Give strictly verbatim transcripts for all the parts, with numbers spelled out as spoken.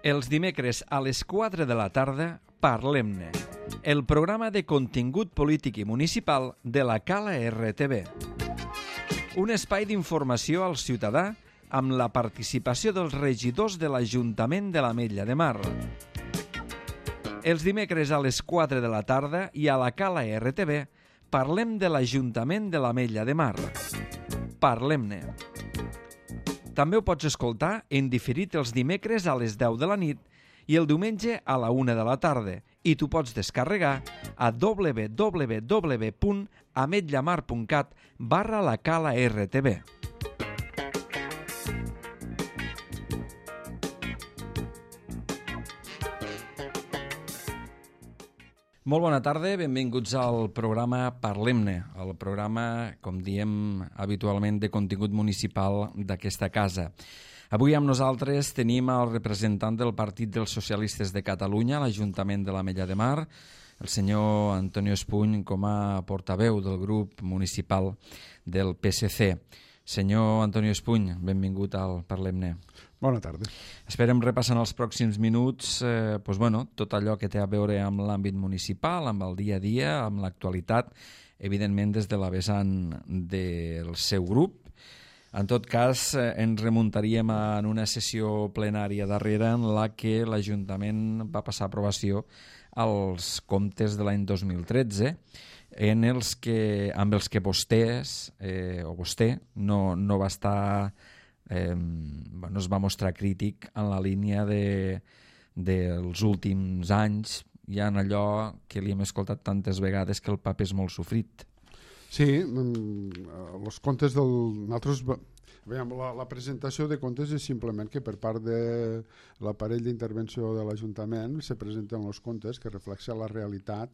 Els dimecres a les quatre de la tarda, Parlem-ne, el programa de contingut polític i municipal de la Cala R T V. Un espai d'informació al ciutadà amb la participació dels regidors de l'Ajuntament de l'Ametlla de Mar. Els dimecres a les quatre de la tarda i a la Cala R T V parlem de l'Ajuntament de l'Ametlla de Mar. Parlem-ne. També ho pots escoltar en diferit els dimecres a les deu de la nit i el diumenge a la una de la tarda i t'ho pots descarregar a w w w punt ametllamar punt cat barra la Cala R T V. Molt bona tarda, benvinguts al programa Parlem-ne, el programa, com diem habitualment, de contingut municipal d'aquesta casa. Avui amb nosaltres tenim el representant del Partit dels Socialistes de Catalunya a l'Ajuntament de l'Ametlla de Mar, el senyor Antonio Espuny, com a portaveu del grup municipal del P S C. Senyor Antonio Espuny, benvingut al Parlem-ne. Bona tarda. Esperem repassar en els pròxims minuts eh, doncs, bueno, tot allò que té a veure amb l'àmbit municipal, amb el dia a dia, amb l'actualitat, evidentment des de la vessant del seu grup. En tot cas, eh, ens remuntaríem a en una sessió plenària darrera en la que l'Ajuntament va passar a aprovació als comptes de l'any dos mil tretze, en els que, amb els que vostès, eh, o vostè, no, no va estar... Eh, bueno, es va mostrar crític en la línia de, dels últims anys, ja en allò que li hem escoltat tantes vegades que el paper és molt sofrit. Sí, els comptes del... Nosaltres, veiem, la, la presentació de comptes és simplement que per part de l'aparell d'intervenció de l'Ajuntament se presenten els comptes que reflexen la realitat,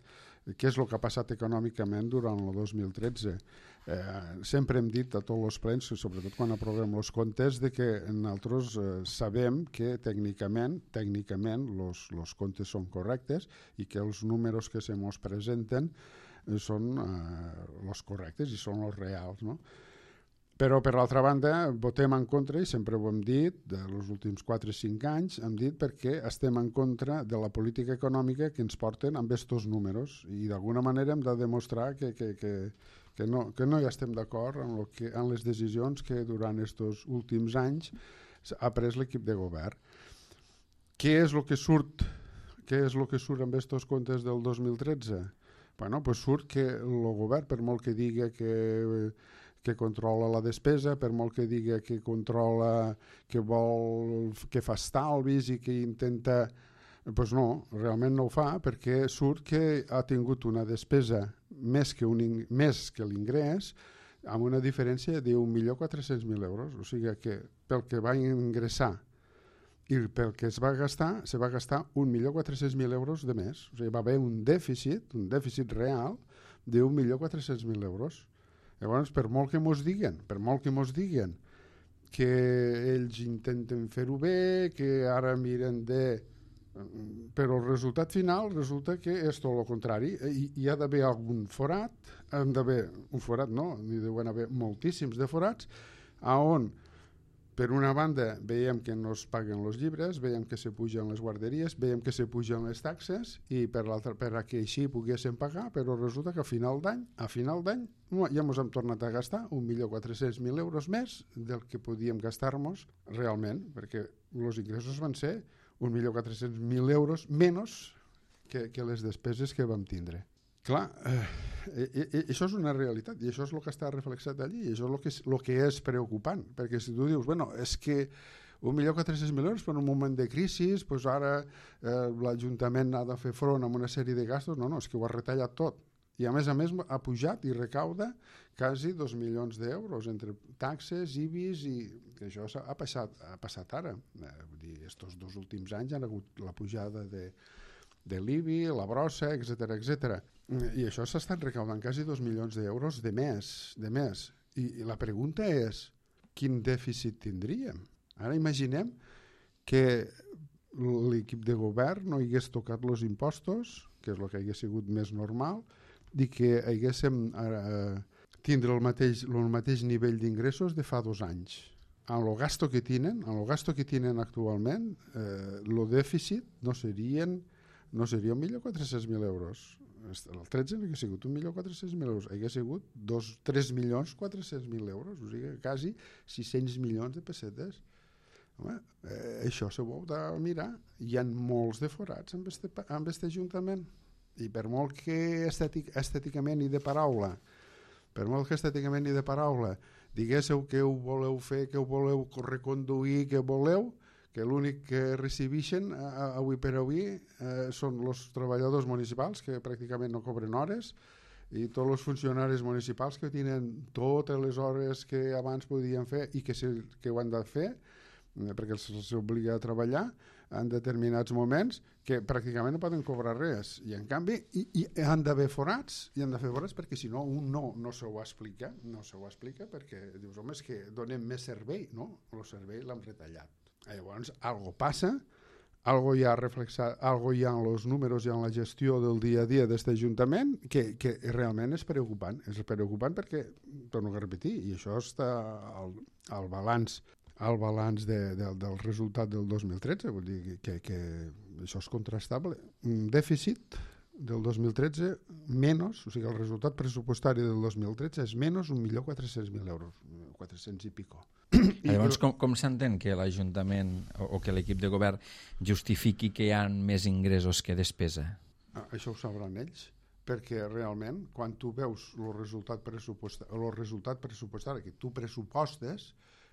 què és el que ha passat econòmicament durant el dos mil tretze. Eh, sempre hem dit a tots els plens, sobretot quan aprovem els comptes, de que nosaltres eh, sabem que tècnicament tècnicament els comptes són correctes i que els números que se mos presenten eh, són eh, els correctes i són els reals, no? Però, per l'altra banda, votem en contra, i sempre ho hem dit, dels últims quatre o cinc anys, hem dit perquè estem en contra de la política econòmica que ens porten amb estos números i d'alguna manera hem de demostrar que, que, que, que, no, que no hi estem d'acord en, lo que, en les decisions que durant estos últims anys ha pres l'equip de govern. Què és el que surt, què és el que surt amb estos comptes del dos mil tretze? Bueno, pues surt que el govern, per molt que diga que... que controla la despesa, per molt que diga que controla, que vol, que fa estalvis i que intenta... Doncs no, realment no ho fa, perquè surt que ha tingut una despesa més que, un, més que l'ingrés, amb una diferència d'un milió quatre-cents mil euros. O sigui que pel que va ingressar i pel que es va gastar, se va gastar un milió quatre-cents mil euros de més. O sigui, va haver un dèficit, un dèficit real d'un milió quatre-cents mil euros. Llavors, per molt que mos diguen, per molt que mos diguen que ells intenten fer-ho bé, que ara miren de... Però el resultat final resulta que és tot el contrari. Hi, hi ha d'haver algun forat, han d'haver un forat, no, n'hi deuen haver moltíssims de forats, on, per una banda, veiem que no es paguen els llibres, veiem que se pugen les guarderies, veiem que se pugen les taxes, i per l'altra, per a que així poguéssim pagar, però resulta que a final d'any, a final d'any, ja ens hem tornat a gastar un milió quatre-cents mil euros més del que podíem gastar-nos realment, perquè els ingressos van ser un milió quatre-cents mil euros menys que, que les despeses que vam tindre. Clar, eh, eh, eh, això és una realitat i això és el que està reflexat allí i això és el que és, el que és preocupant, perquè si tu dius, bueno, és que un milió quatre-cents mil euros per un moment de crisi, doncs ara eh, l'Ajuntament ha de fer front a una sèrie de gastos, no, no, és que ho ha retallat tot. I a més a més ha pujat i recauda quasi dos milions d'euros entre taxes, I B I S i que això ha passat, ha passat ara. Eh, vull dir, estos dos últims anys han hagut la pujada de, de l'I B I, la brossa, etcètera, etcètera. I això s'ha estat recaudant quasi dos milions d'euros de més, de més. I, I la pregunta és, quin dèficit tindríem? Ara imaginem que l'equip de govern no hagués tocat els impostos, que és el que hagués sigut més normal, i que haguéssim eh, tindre el mateix, el mateix nivell d'ingressos de fa dos anys. amb el gasto que tenen, amb el gasto que tenen actualment, eh, el dèficit no serien no seria un milió quatre-cents mil euros. El tretze no hauria sigut un milió quatre-cents mil euros, hauria sigut tres milions quatre-cents mil euros, o sigui, quasi sis-cents milions de pessetes. Home, eh, això s'ho heu de mirar. Hi ha molts de forats amb este, amb este ajuntament. I per molt que estètic, estèticament i de paraula, per molt que estèticament i de paraula diguéssiu que ho voleu fer, que ho voleu reconduir, que voleu, que l'únic que recibeixen avui per avui eh, són els treballadors municipals, que pràcticament no cobren hores, i tots els funcionaris municipals que tenen totes les hores que abans podien fer i que, se, que ho han de fer, eh, perquè se'ls obliga a treballar en determinats moments, que pràcticament no poden cobrar res. I en canvi i, i han d'haver forats, i han de fer forats perquè si no un no, no se ho explica, no se ho explica perquè dius, home, és que donem més servei, no? El servei l'hem retallat. Llavors, algo passa, algo hi ha reflexat, algo hi ha en els números i en la gestió del dia a dia d'aquest ajuntament que, que realment és preocupant. És preocupant perquè, torno a repetir, i això està al, al balanç al balanç de, de, del resultat del dos mil tretze, vull dir que, que això és contrastable. Un dèficit del dos mil tretze menys, o sigui, el resultat pressupostari del dos mil tretze és menys un milió quatre-cents mil euros, quatre-cents i pico. Llavors, com, com s'entén que l'Ajuntament o, o que l'equip de govern justifiqui que hi ha més ingressos que despesa? Això ho sabran ells, perquè realment, quan tu veus el resultat pressupostari, el resultat pressupostari que tu pressupostes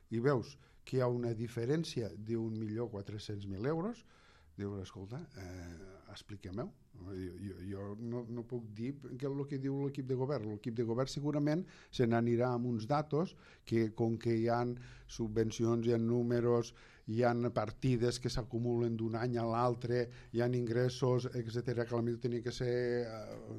i veus que hi ha una diferència d'un milió quatre-cents mil euros, dius, escolta, eh, expliquem-ho. Jo, jo, jo no, no puc dir que el que diu l'equip de govern. L'equip de govern segurament se n'anirà amb uns datos que, com que hi ha subvencions, hi ha números, hi ha partides que s'acumulen d'un any a l'altre, hi ha ingressos, etcètera, que potser tenia que ser eh,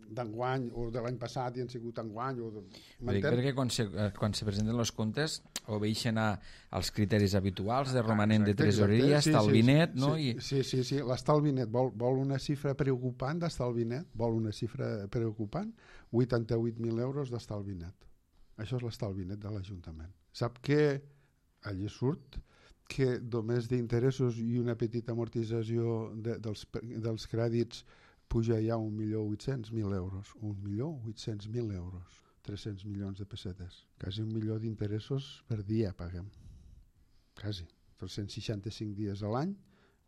d'enguany o de l'any passat i han sigut enguany. O de... Dic, perquè quan se, quan se presenten els comptes obeixen als criteris habituals de romanent exacte, de tresoreria, sí, estalvi net, sí, no? Sí, I... sí, sí, sí. L'estalvi net vol, vol una xifra preocupant d'estalvi net, vol una xifra preocupant, vuitanta-vuit mil euros d'estalvi net. Això és l'estalvi net de l'Ajuntament. Sap que allí surt que només d'interessos i una petita amortització de, dels, dels crèdits puja ja un milió vuit-cents mil euros. Un milió vuit-cents mil euros. tres-cents milions de pessetes. Quasi un milió d'interessos per dia paguem. Quasi. tres-cents seixanta-cinc dies a l'any,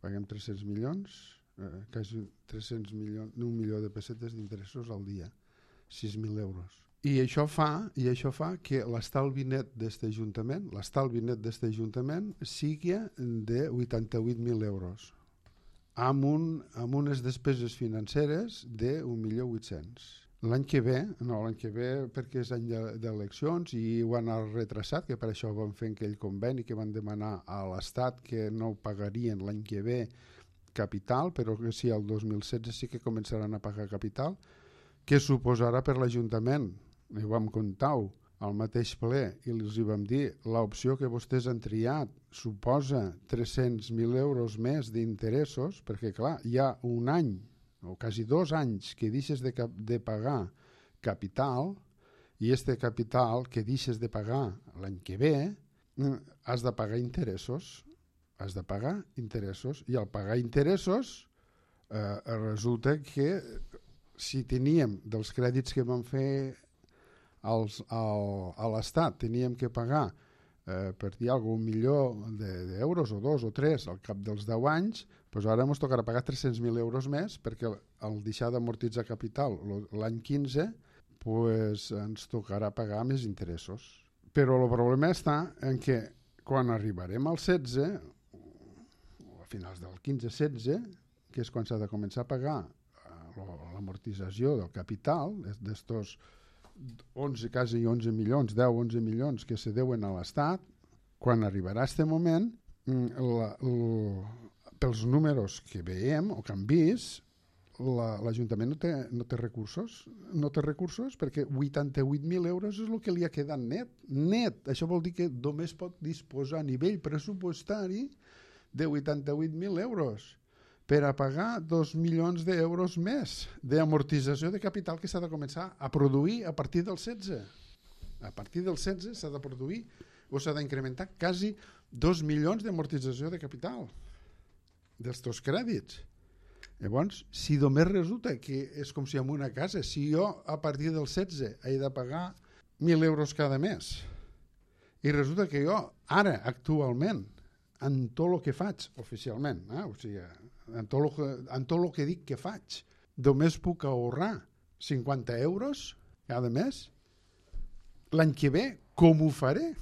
paguem tres-cents milions, eh, quasi tres-cents milions, un milió de pessetes d'interessos al dia. sis mil euros. I això fa, i això fa que l'estalvi net d'aquest ajuntament, l'estalvi net d'aquest ajuntament sigui de vuitanta-vuit mil euros. Amb, un, amb unes despeses financeres d'un milió vuit-cents. L'any que ve, no, l'any que ve perquè és any d'eleccions i ho han retrasat, que per això van fer aquell conveni que van demanar a l'Estat que no pagarien l'any que ve capital, però que sí, el dos mil setze sí que començaran a pagar capital, que suposarà per l'Ajuntament, i ho vam comptar al mateix ple i els hi vam dir, l'opció que vostès han triat suposa tres-cents mil euros més d'interessos, perquè clar, hi ha un any o quasi dos anys que deixes de, cap, de pagar capital i este capital que deixes de pagar l'any que ve has de pagar interessos, has de pagar interessos i al pagar interessos eh, resulta que si teníem dels crèdits que vam fer als, al, a l'Estat teníem que pagar eh, per dir alguna cosa, un milió d'euros o dos o tres al cap dels deu anys, doncs ara ens tocarà pagar tres-cents mil euros més perquè al deixar d'amortitzar capital l'any quinze doncs ens tocarà pagar més interessos. Però el problema està en que quan arribarem al setze, o a finals del quinze setze, que és quan s'ha de començar a pagar l'amortització del capital, d'estos onze, quasi onze milions, deu onze milions que se deuen a l'Estat, quan arribarà aquest moment, la, la, pels números que veiem o que hem vist, l'Ajuntament no té, no té recursos, no té recursos perquè vuitanta-vuit mil euros és el que li ha quedat net. Net, això vol dir que només pot disposar a nivell pressupostari de vuitanta-vuit mil euros per a pagar dos milions d'euros més d'amortització de capital que s'ha de començar a produir a partir del setze. A partir del setze s'ha de produir o s'ha d'incrementar quasi dos milions d'amortització de capital dels teus crèdits. Llavors, si només resulta que és com si en una casa, si jo a partir del setze he de pagar mil euros cada mes i resulta que jo ara, actualment, en tot el que faig, oficialment, eh? O sigui, en tot el que, en tot el que dic que faig, només puc ahorrar cinquanta euros cada mes, l'any que ve, com ho faré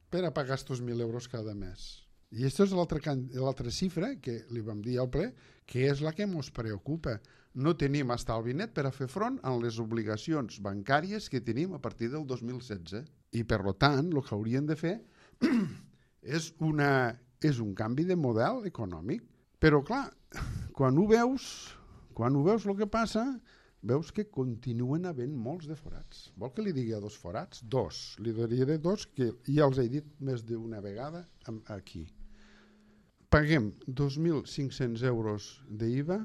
per a pagar aquests mil euros cada mes? I aquesta és l'altra xifra que li vam dir al ple, que és la que ens preocupa. No tenim estalvi net per a fer front a les obligacions bancàries que tenim a partir del dos mil setze. I, per tant, el que haurien de fer és, una, és un canvi de model econòmic. Però, clar, quan ho veus, quan ho veus el que passa, veus que continuen havent molts de forats. Vol que li digui a dos forats? Dos. Li diré dos que ja els he dit més d'una vegada aquí. Paguem dos mil cinc-cents euros d'I V A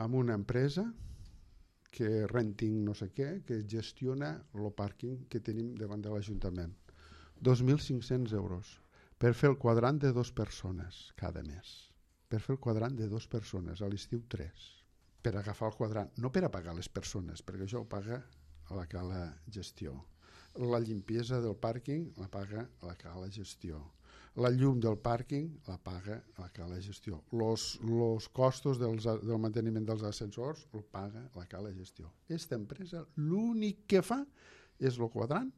amb una empresa que renting no sé què, que gestiona el pàrquing que tenim davant de l'Ajuntament. dos mil cinc-cents euros per fer el quadrant de dues persones cada mes. Per fer el quadrant de dues persones, a l'estiu tres. Per agafar el quadrant, no per a pagar les persones, perquè això ho paga la cala gestió. La limpiesa del pàrquing la paga la cala gestió. La llum del pàrquing la paga la cala gestió. Los, los costos dels, del manteniment dels ascensors el paga la cala gestió. Aquesta empresa l'únic que fa és el quadrant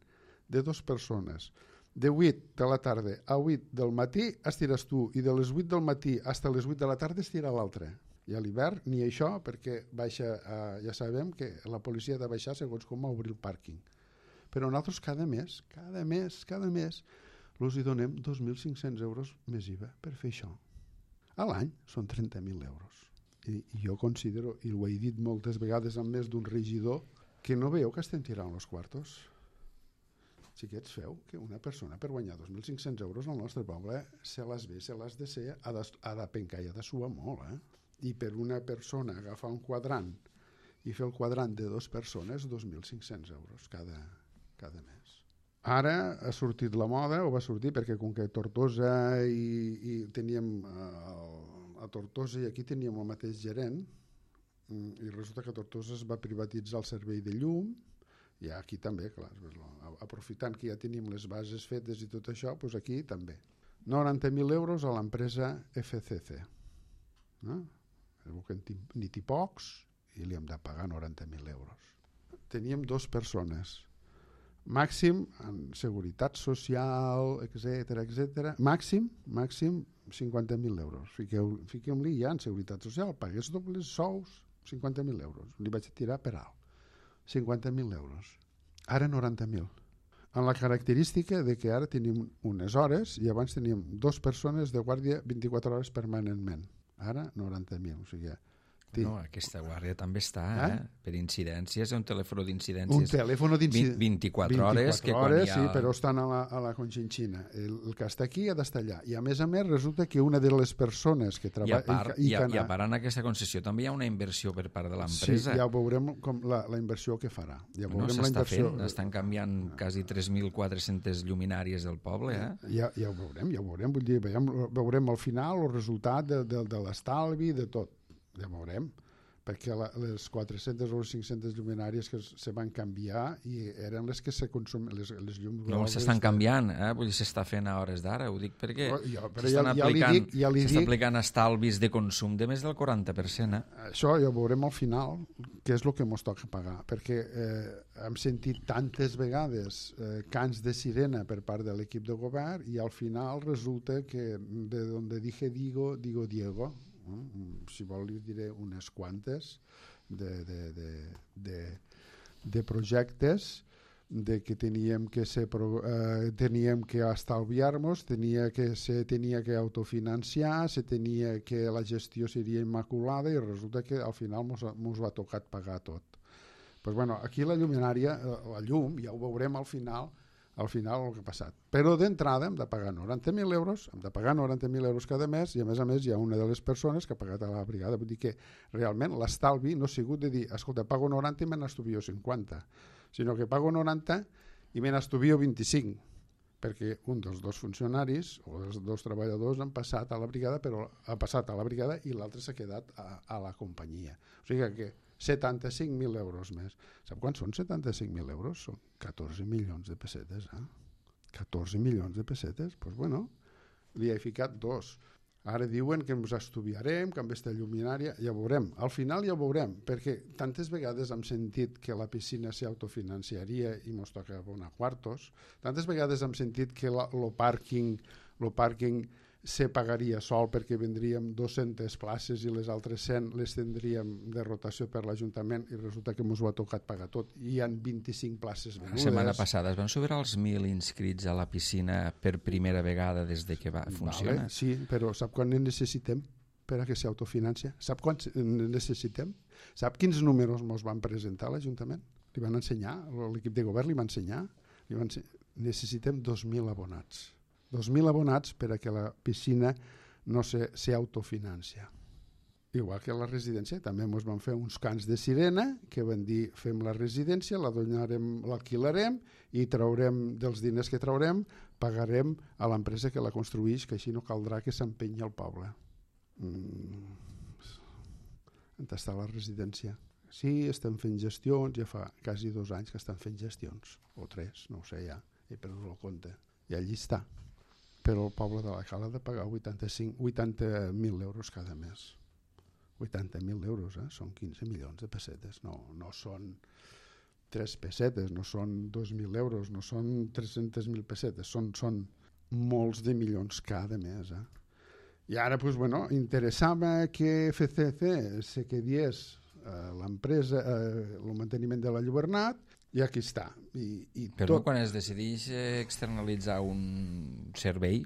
de dues persones. De vuit de la tarda a vuit del matí estires tu i de les vuit del matí fins a les vuit de la tarda estira l'altre. I a l'hivern ni això, perquè baixa, eh, ja sabem que la policia ha de baixar segons com obrir el pàrquing. Però nosaltres cada mes, cada mes, cada mes, els hi donem dos mil cinc-cents euros més I V A per fer això. A l'any són trenta mil euros. I, I jo considero, i ho he dit moltes vegades amb més d'un regidor, que no veieu que estem tirant els quartos. Xiquets, feu que una persona per guanyar dos mil cinc-cents euros al nostre poble se les ve, se les de ser, ha de, ha de pencar i ha de suar molt, eh? I per una persona agafar un quadrant i fer el quadrant de dues persones, dos mil cinc-cents euros cada, cada mes. Ara ha sortit la moda, o va sortir perquè com que Tortosa i, i teníem uh, a Tortosa i aquí teníem el mateix gerent i resulta que Tortosa es va privatitzar el servei de llum i aquí també, clar, aprofitant que ja tenim les bases fetes i tot això, doncs aquí també. noranta mil euros a l'empresa F C C. No? Ni t'hi pocs i li hem de pagar noranta mil euros. Teníem dues persones. Màxim en seguretat social, etcètera, etcètera. Màxim, màxim cinquanta mil euros. Fiqueu, fiquem-li ja en seguretat social, pagués dobles sous, cinquanta mil euros. Li vaig tirar per alt. cinquanta mil euros. Ara noranta mil. Amb la característica de que ara tenim unes hores i abans teníem dues persones de guàrdia vint-i-quatre hores permanentment. Ara noranta mil. O sigui, no, aquesta guàrdia també està, eh? Eh? Per incidències, un telèfon d'incidències. Un telèfon d'incidències. vint-i-quatre hores. vint-i-quatre hores, ha... sí, però estan a la, a la Conchinchina. El, el que està aquí ha d'estar allà. I a més a més resulta que una de les persones que treballa... I a part, i, i, i a part en aquesta concessió també hi ha una inversió per part de l'empresa. Sí, ja veurem com la, la inversió que farà. Ja veurem no, s'està la inversió... fent, estan canviant quasi tres mil quatre-centes lluminàries del poble. Eh? Ja, ja ho veurem, ja ho veurem. Vull dir, veurem, veurem al final el resultat de, de, de l'estalvi, de tot. Ja veurem. Perquè la, les quatre-centes o les cinc-centes lluminàries que se van canviar i eren les que se consumen, les, les llums... No, s'estan canviant, eh? Vull dir, s'està fent a hores d'ara, ho dic perquè oh, ja, s'estan ja, aplicant, ja dic, ja s'està aplicant estalvis de consum de més del quaranta per cent. Eh? Això ja ho veurem al final, que és el que ens toca pagar, perquè eh, hem sentit tantes vegades eh, cants de sirena per part de l'equip de govern i al final resulta que de donde dije digo, digo Diego. Si vol li diré unes quantes de, de, de, de, de projectes de que teníem que ser, eh, teníem que estalviar-nos, tenia que se tenia que autofinanciar, se tenia que la gestió seria immaculada i resulta que al final ens va tocar pagar tot. Pues bueno, aquí la lluminària, la llum, ja ho veurem al final, al final el que ha passat. Però d'entrada hem de pagar noranta mil euros, hem de pagar noranta mil euros cada mes i a més a més hi ha una de les persones que ha pagat a la brigada. Vull dir que realment l'estalvi no ha sigut de dir, escolta, pago noranta i me n'estuvio cinquanta, sinó que pago noranta i me n'estuvio vint-i-cinc. perquè un dels dos funcionaris o dels dos treballadors han passat a la brigada, però ha passat a la brigada i l'altre s'ha quedat a, a la companyia. O sigui que setanta-cinc mil euros més. Sap quan són setanta-cinc mil euros? Són catorze milions de pessetes. Eh? catorze milions de pessetes? Doncs pues bueno, li he ficat dos. Ara diuen que ens estudiarem, que amb aquesta lluminària, ja veurem. Al final ja veurem, perquè tantes vegades hem sentit que la piscina s'autofinanciaria i ens toca abonar quartos, tantes vegades hem sentit que el pàrquing, lo pàrquing se pagaria sol perquè vendríem dues-centes places i les altres cent les tindríem de rotació per l'Ajuntament i resulta que ens ho ha tocat pagar tot. I hi ha vint-i-cinc places venudes. La setmana passada es van superar els mil inscrits a la piscina per primera vegada des de que va funcionar. Vale, sí, però sap quan en necessitem per a que s'autofinancia? Sap quan necessitem? Sap quins números ens van presentar a l'Ajuntament? Li van ensenyar, l'equip de govern li va ensenyar. Li van ensenyar. Necessitem dos mil abonats. dos mil abonats per a que la piscina no s'autofinancia. Igual que la residència, també ens van fer uns cants de sirena que van dir fem la residència, la donarem, l'alquilarem i traurem dels diners que traurem, pagarem a l'empresa que la construïx, que així no caldrà que s'empenyi al poble. Mm. On està la residència? Sí, estem fent gestions, ja fa quasi dos anys que estan fent gestions, o tres, no ho sé ja, he perdut el compte. I allí està. Però el poble de la Cala ha de pagar vuitanta mil euros cada mes. vuitanta mil euros, eh? Són quinze milions de pessetes. No, no són tres pessetes, no són dos mil euros, no són tres-centes mil pessetes, són, són molts de milions cada mes. Eh? I ara, pues, bueno, interessava que F C C se quedés eh, l'empresa, eh, el manteniment de la Llobernat, i aquí està. I, i Però tot... quan es decideix externalitzar un servei,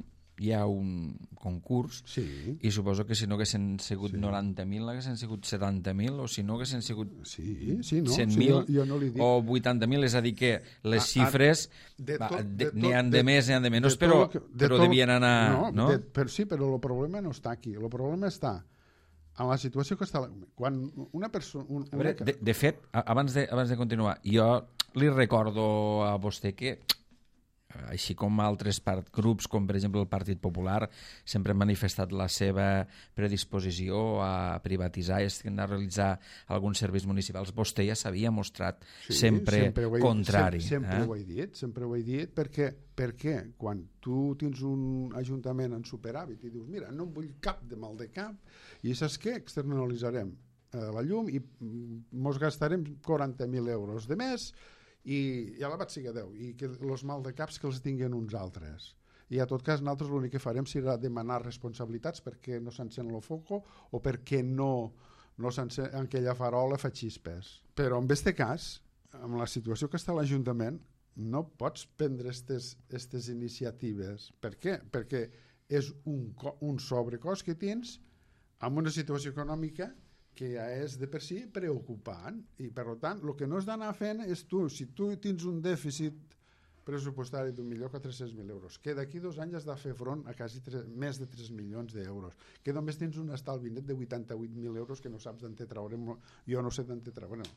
hi ha un concurs, sí. I suposo que si no haguessin sigut sí. noranta mil, haguessin sigut setanta mil, o si no haguessin sigut sí, sí, no. cent mil, sí, jo, jo no li dic. o vuitanta mil, és a dir que les a, xifres n'hi han de més, n'hi han de menys, però, que, de però tot, devien anar... No, no? De, per, sí, però el problema no està aquí. El problema està en la situació que està... Quan una persona... Un, una... Veure, de, de fet, abans de, abans de continuar, jo li recordo a vostè que, així com altres part, grups, com per exemple el Partit Popular, sempre han manifestat la seva predisposició a privatitzar i a realitzar alguns serveis municipals. Vostè ja s'havia mostrat sí, sempre, sempre he, contrari. Sempre, sempre eh? ho he dit, sempre ho he dit, perquè, perquè quan tu tens un ajuntament en superàvit i dius, mira, no em vull cap de mal de cap, i saps què? Externalitzarem eh, la llum i mos gastarem quaranta mil euros de més i ja la vaig seguir a deu i que els mal de caps que els tinguin uns altres. I a tot cas nosaltres l'únic que farem serà demanar responsabilitats perquè no s'encén el foco o perquè no, no s'encén aquella farola fa xispes. Però en aquest cas, amb la situació que està a l'Ajuntament, no pots prendre aquestes iniciatives. Per què? Perquè és un, un sobrecost que tens amb una situació econòmica que ja és de per si preocupant i per tant el que no has d'anar fent és tu, si tu tens un dèficit pressupostari d'un milió quatre-cents mil euros que d'aquí dos anys has de fer front a quasi tres, més de tres milions d'euros, que només tens un estalvi net de vuitanta-vuit mil euros que no saps d'on te traurem, jo no sé d'on te traurem.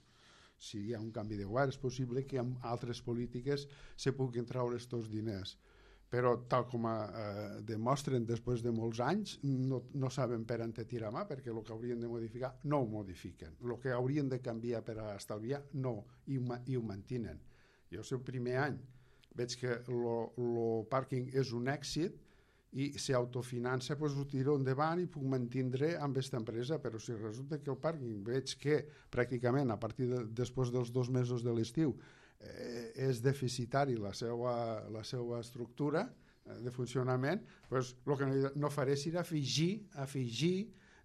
Si hi ha un canvi de govern és possible que amb altres polítiques se puguin traure aquests diners, però tal com eh, demostren després de molts anys no, no saben per on te tirar mà perquè el que haurien de modificar no ho modifiquen, el que haurien de canviar per a estalviar no, i ho, i ho mantenen. Jo el primer any veig que el pàrquing és un èxit i s'autofinança, doncs ho tiro endavant i puc mantindre amb aquesta empresa, però si resulta que el pàrquing veig que pràcticament a partir de, després dels dos mesos de l'estiu és deficitari la seva, la seva estructura de funcionament, doncs el que no faré serà afegir, afegir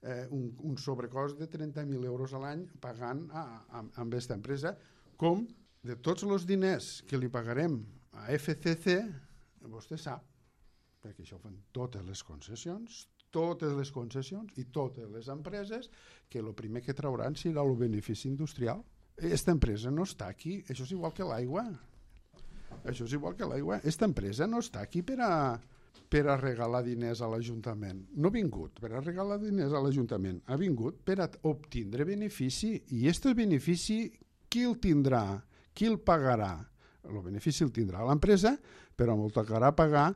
eh, un, un sobrecost de trenta mil euros a l'any pagant a, a, a aquesta empresa, com de tots els diners que li pagarem a F C C, vostè sap, perquè això ho fan totes les concessions, totes les concessions i totes les empreses, que el primer que trauran serà el benefici industrial. Aquesta empresa no està aquí, això és igual que l'aigua. Això és igual que l'aigua. Aquesta empresa no està aquí per a, per a regalar diners a l'Ajuntament. No ha vingut per a regalar diners a l'Ajuntament, ha vingut per a obtindre benefici. I aquest benefici, qui el tindrà? Qui el pagarà? el benefici el tindrà l'empresa, però m'ho tocarà pagar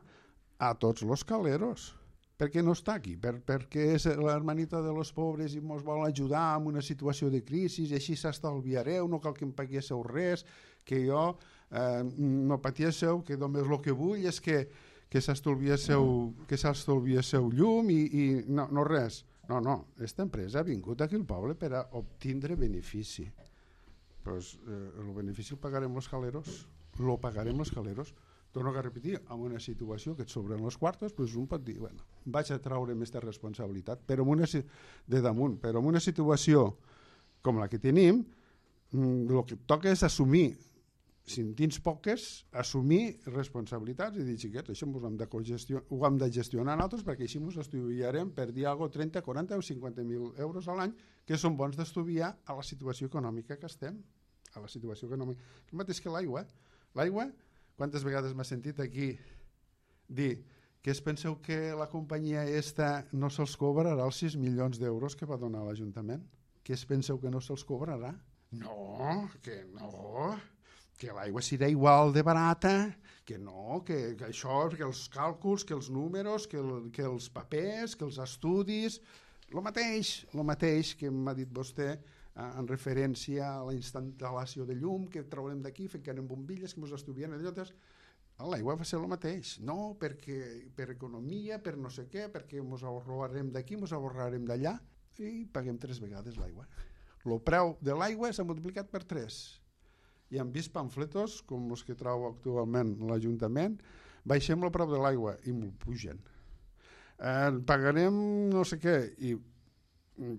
a tots els caleros. Per què no està aquí? Per, perquè és l'hermanita de los pobres i ens vol ajudar en una situació de crisi i així s'estalviareu, no cal que em paguéssiu res, que jo eh, no patíssiu, que només el que vull és que, que s'estalviéssiu que s'estalviéssiu llum i, i no, no res. No, no, aquesta empresa ha vingut aquí al poble per a obtindre benefici. Pues, eh, el benefici el pagarem els caleros, lo pagarem els caleros. Torno a repetir, en una situació que et sobren els quartos, doncs un pot dir, bueno, vaig a treure aquesta responsabilitat, però en una, de damunt, però en una situació com la que tenim, el que toca és assumir, si en tens poques, assumir responsabilitats i dir, xiquets, això ho hem de, ho hem de gestionar nosaltres perquè així ens estudiarem per dir alguna cosa, trenta, quaranta o cinquanta mil euros a l'any, que són bons d'estudiar a la situació econòmica que estem, a la situació econòmica. El mateix que l'aigua. L'aigua, quantes vegades m'ha sentit aquí dir que es penseu que la companyia esta no se'ls cobrarà els sis milions d'euros que va donar l'Ajuntament? Que es penseu que no se'ls cobrarà? No, que no, que l'aigua serà igual de barata, que no, que, que això, que els càlculs, que els números, que, el, que els papers, que els estudis, el mateix, el mateix que m'ha dit vostè, en referència a la instal·lació de llum que traurem d'aquí, ficarem bombilles que ens estudien allòtes, l'aigua va ser el mateix, no, perquè per economia, per no sé què, perquè ens ahorrarem d'aquí, ens ahorrarem d'allà i paguem tres vegades l'aigua. El preu de l'aigua s'ha multiplicat per tres i hem vist pamfletos com els que trau actualment l'Ajuntament, baixem el preu de l'aigua i m'ho pugen, eh, pagarem no sé què i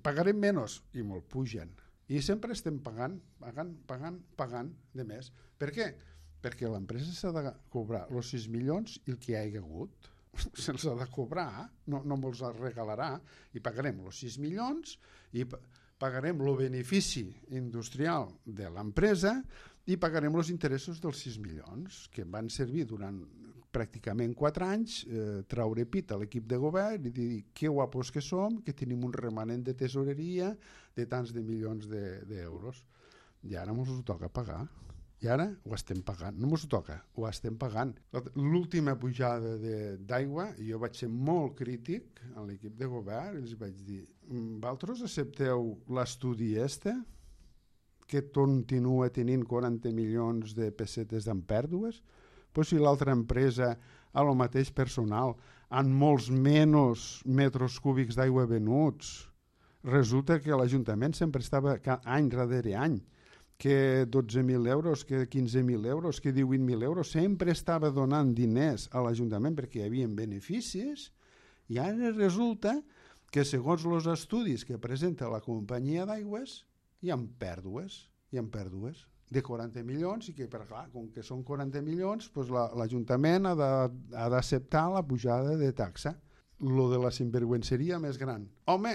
pagarem menys i me'l pugen. I sempre estem pagant, pagant, pagant, pagant de més. Per què? Perquè l'empresa s'ha de cobrar els sis milions i el que hi ha hagut. Se'ls ha de cobrar, no, no me'ls regalarà, i pagarem els sis milions i pagarem el benefici industrial de l'empresa i pagarem els interessos dels sis milions, que van servir durant pràcticament quatre anys, eh, traure pit a l'equip de govern i dir que guapos que som, que tenim un remanent de tesoreria de tants de milions d'euros. I ara ens ho toca pagar. I ara ho estem pagant. No ens ho toca, ho estem pagant. L'última pujada d'aigua, jo vaig ser molt crític a l'equip de govern, els vaig dir, vosaltres accepteu l'estudi este, que continua tenint quaranta milions de pessetes en pèrdues? Pues si l'altra empresa a lo mateix personal, amb molts menys metres cúbics d'aigua venuts, resulta que l'Ajuntament sempre estava any darrere any, que dotze mil euros, que quinze mil euros, que divuit mil euros, sempre estava donant diners a l'Ajuntament perquè hi havia beneficis, i ara resulta que segons els estudis que presenta la companyia d'aigües hi ha pèrdues, hi ha pèrdues de quaranta milions i que, per clar, com que són quaranta milions, doncs l'Ajuntament ha d'acceptar la pujada de taxa. Lo de la sinvergüenceria més gran. Home,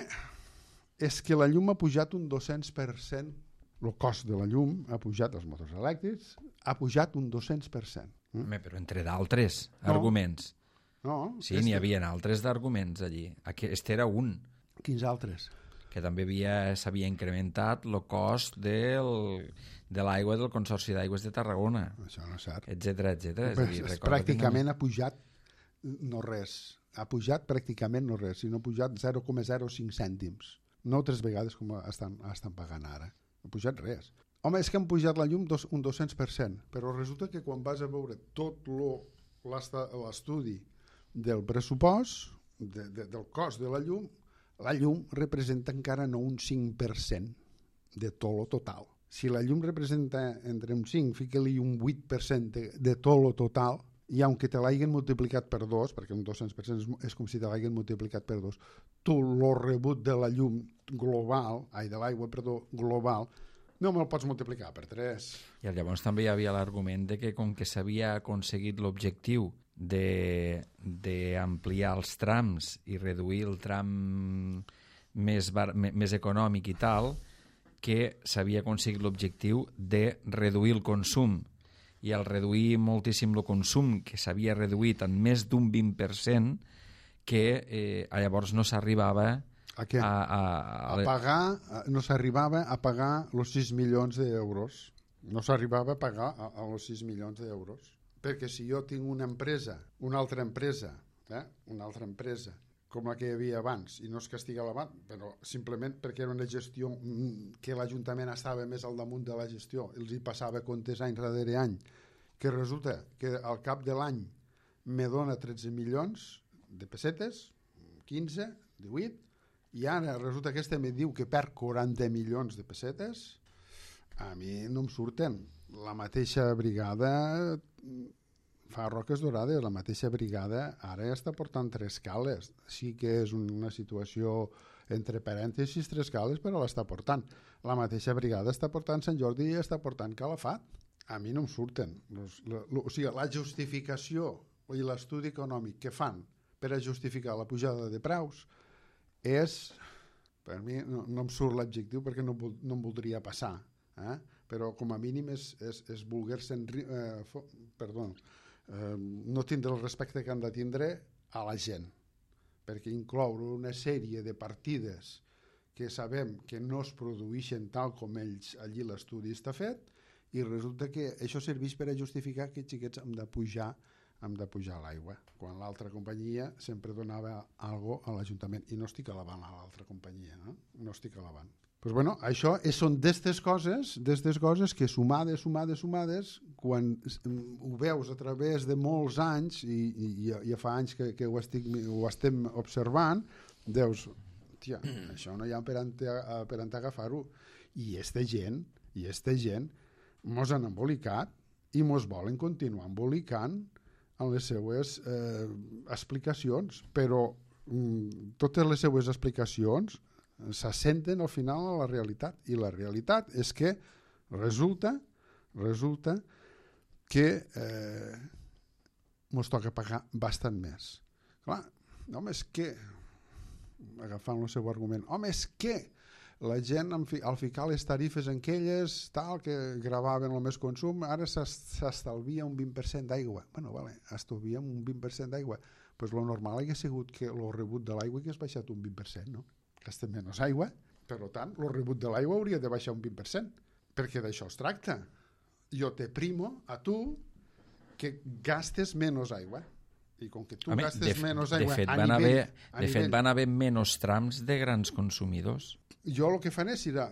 és que la llum ha pujat un dos-cents per cent, el cost de la llum ha pujat, els motors elèctrics, ha pujat un dos-cents per cent. Mm? Home, però entre d'altres no. arguments. No. Sí, n'hi havia altres d'arguments allí. Aquest era un. Quins altres? Que també s'havia incrementat el cost del, de l'aigua del Consorci d'Aigües de Tarragona. Això no és cert. Etcètera, etcètera. És dir, és pràcticament no... ha pujat no res. Ha pujat pràcticament no res, sinó ha pujat zero coma zero cinc cèntims. No tres vegades com estan, estan pagant ara. No ha pujat res. Home, és que han pujat la llum dos, un dos-cents per cent, però resulta que quan vas a veure tot l'estudi del pressupost, de, de, del cost de la llum, la llum representa encara no un cinc per cent de tot lo total. Si la llum representa entre un cinc, fica-li un vuit per cent de, de tot lo total, i aunque te l'hagin multiplicat per dos, perquè un dos-cents per cent és, és com si te l'hagin multiplicat per dos, tu lo rebut de la llum global, ai, de l'aigua, perdó, global, no me'l pots multiplicar per tres. I llavors també hi havia l'argument de que com que s'havia aconseguit l'objectiu d'ampliar els trams i reduir el tram més, bar, més econòmic i tal, que s'havia aconseguit l'objectiu de reduir el consum, i al reduir moltíssim el consum, que s'havia reduït en més d'un vint per cent, que eh, llavors no s'arribava a, a, a, a, a pagar, no s'arribava a pagar els sis milions d'euros. No s'arribava a pagar a, a els sis milions d'euros. Perquè si jo tinc una empresa, una altra empresa, eh? una altra empresa, com la que hi havia abans, i no es castiga l'abans, però simplement perquè era una gestió que l'Ajuntament estava més al damunt de la gestió, els hi passava comptes any darrere any, que resulta que al cap de l'any me dona tretze milions de pessetes, quinze, divuit, i ara resulta que este me diu que perd quaranta milions de pessetes. A mi no em surten. La mateixa brigada fa roques dorades, la mateixa brigada ara està portant tres cales. Sí que és una situació entre parèntesis tres cales, però l'està portant. La mateixa brigada està portant Sant Jordi i està portant Calafat. A mi no em surten. Los, la, lo, o sigui, la justificació i l'estudi econòmic que fan per a justificar la pujada de preus és, per mi no, no em surt l'adjectiu perquè no, no em voldria passar, eh? Però com a mínim és, és, és voler-se eh, fo, perdó, eh, no tindre el respecte que han de tindre a la gent, perquè incloure una sèrie de partides que sabem que no es produeixen tal com ells allí l'estudi està fet, i resulta que això serveix per a justificar que xiquets hem de pujar hem de pujar l'aigua, quan l'altra companyia sempre donava algo a l'Ajuntament, i no estic alabant a l'altra companyia, no, no estic alabant. Pues bueno, això és, són d'estes coses, d'estes coses que sumades, sumades, sumades, quan ho veus a través de molts anys, i, i, i ja fa anys que, que ho, estic, ho estem observant, deus, tia, això no hi ha per on, per on agafar-ho. I esta gent, i esta gent mos han embolicat i mos volen continuar embolicant en les seues eh, explicacions, però mm, totes les seues explicacions s'assenten al final a la realitat, i la realitat és que resulta resulta que eh, ens toca pagar bastant més. Clar, home, és que agafant el seu argument, home, és que la gent al ficar les tarifes en aquelles tal, que gravaven el més consum, ara s'estalvia un vint per cent d'aigua. Bueno, vale, estalviem un vint per cent d'aigua. Pues lo normal hauria sigut que el rebut de l'aigua hagués baixat un vint per cent, no? Gastem menys aigua, per tant, el rebut de l'aigua hauria de baixar un vint per cent, perquè d'això es tracta. Jo te primo a tu que gastes menys aigua. I com que tu Home, gastes de, menys aigua de fet, a van nivell... Haver, de nivell... fet, van haver menys trams de grans consumidors. Jo el que faré serà,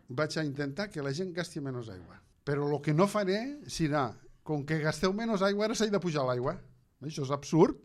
vaig a intentar que la gent gasti menys aigua. Però el que no faré serà, com que gasteu menys aigua, ara s'ha de pujar l'aigua. Això és absurd.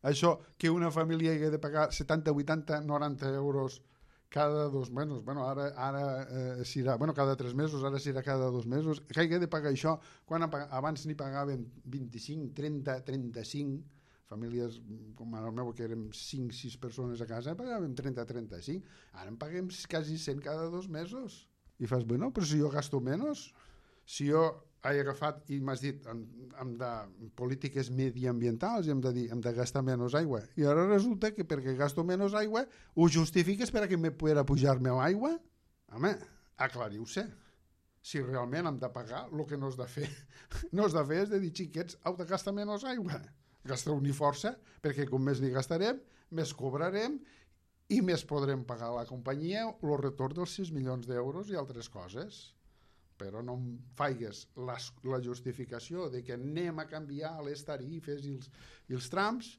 Això que una família hagi de pagar setanta, vuitanta, noranta euros cada dos mesos, bueno, ara, ara eh, serà, bueno, cada tres mesos, ara serà cada dos mesos, que hagi de pagar això, quan abans n'hi pagaven vint-i-cinc, trenta, trenta-cinc, famílies com el meu, que érem cinc sis persones a casa, pagàvem trenta a trenta-cinc, ara en paguem quasi cent cada dos mesos. I fas, bueno, però si jo gasto menys, si jo he agafat i m'has dit hem, hem de polítiques mediambientals i hem de dir hem de gastar menys aigua, i ara resulta que perquè gasto menys aigua ho justifiques per a que me pueda pujar-me l'aigua? Home, aclariu-se. Si realment hem de pagar, el que no és de fer no és de fer és de dir, xiquets, heu de gastar menys aigua. Gasteu-n'hi força, perquè com més n'hi gastarem, més cobrarem i més podrem pagar a la companyia el retorn dels sis milions d'euros i altres coses. Però no em faigues la, la justificació de que anem a canviar les tarifes i els, i els trams,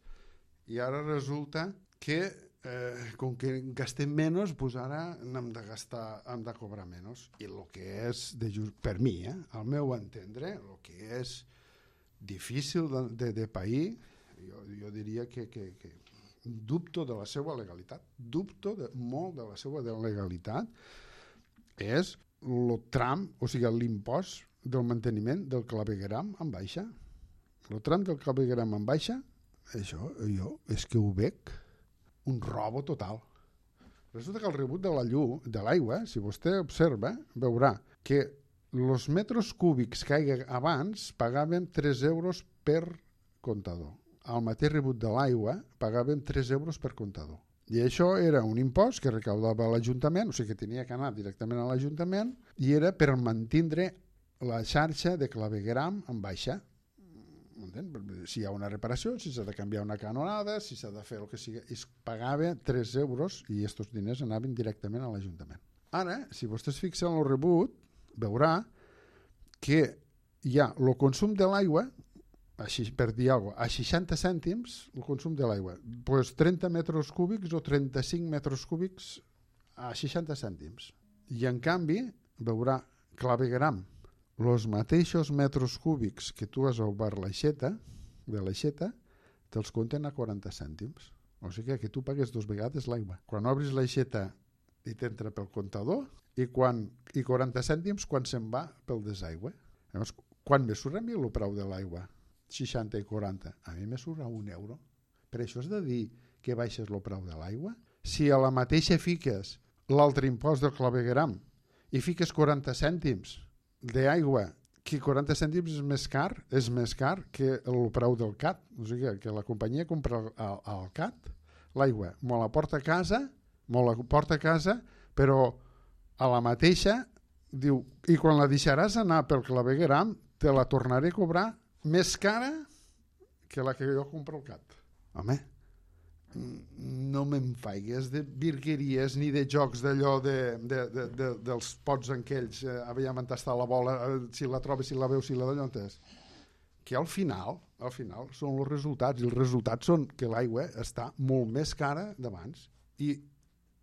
i ara resulta que eh, com que gastem menys, doncs ara hem de gastar, hem de cobrar menys. I el que és, de just, per mi, eh, al meu entendre, el que és difícil de, de, de pair, jo, jo diria que, que, que dubto de la seva legalitat, dubto de, molt de la seva de legalitat, és el tram, o sigui, l'impost del manteniment del clavegueram en baixa. El tram del clavegueram en baixa, això jo és que ho veig un robo total. Resulta que el rebut de la llum, de l'aigua, si vostè observa, veurà que els metres cúbics que hi ha abans pagaven tres euros per comptador. Al mateix rebut de l'aigua pagaven tres euros per comptador. I això era un impost que recaudava l'Ajuntament, o sigui que tenia que anar directament a l'Ajuntament, i era per mantindre la xarxa de clavegueram en baixa. Si hi ha una reparació, si s'ha de canviar una canonada, si s'ha de fer el que sigui, es pagava tres euros i aquests diners anaven directament a l'Ajuntament. Ara, si vostè es fixa en el rebut, veurà que hi ha el consum de l'aigua, així, per dir alguna cosa, a seixanta cèntims el consum de l'aigua, pues trenta metres cúbics o trenta-cinc metres cúbics a seixanta cèntims. I en canvi veurà clavegram, els mateixos metres cúbics que tu has obert l'aixeta, de l'aixeta, te'ls compten a quaranta cèntims. O sigui que tu pagues dues vegades l'aigua. Quan obris l'aixeta i t'entra pel comptador i, quan, i quaranta cèntims quan se'n va pel desaigüe. Llavors, quan me surt a mi el preu de l'aigua? seixanta i quaranta. A mi me surt a un euro. Per això has de dir que baixes el preu de l'aigua? Si a la mateixa fiques l'altre impost del clavegueram i fiques quaranta cèntims d'aigua, que quaranta cèntims és més car, és més car que el preu del C A T. O sigui que la companyia compra al, al C A T l'aigua, me la porta a casa, me la porta a casa, però a la mateixa diu, i quan la deixaràs anar pel clavegueram te la tornaré a cobrar més cara que la que jo compro al C A T. Home, no me'n faigues de virgueries ni de jocs d'allò de, de, de, de, dels pots en aquells, eh, aviam on està la bola, eh, si la trobes, si la veus, si la d'allò és. Que al final, al final són els resultats, i els resultats són que l'aigua està molt més cara d'abans, i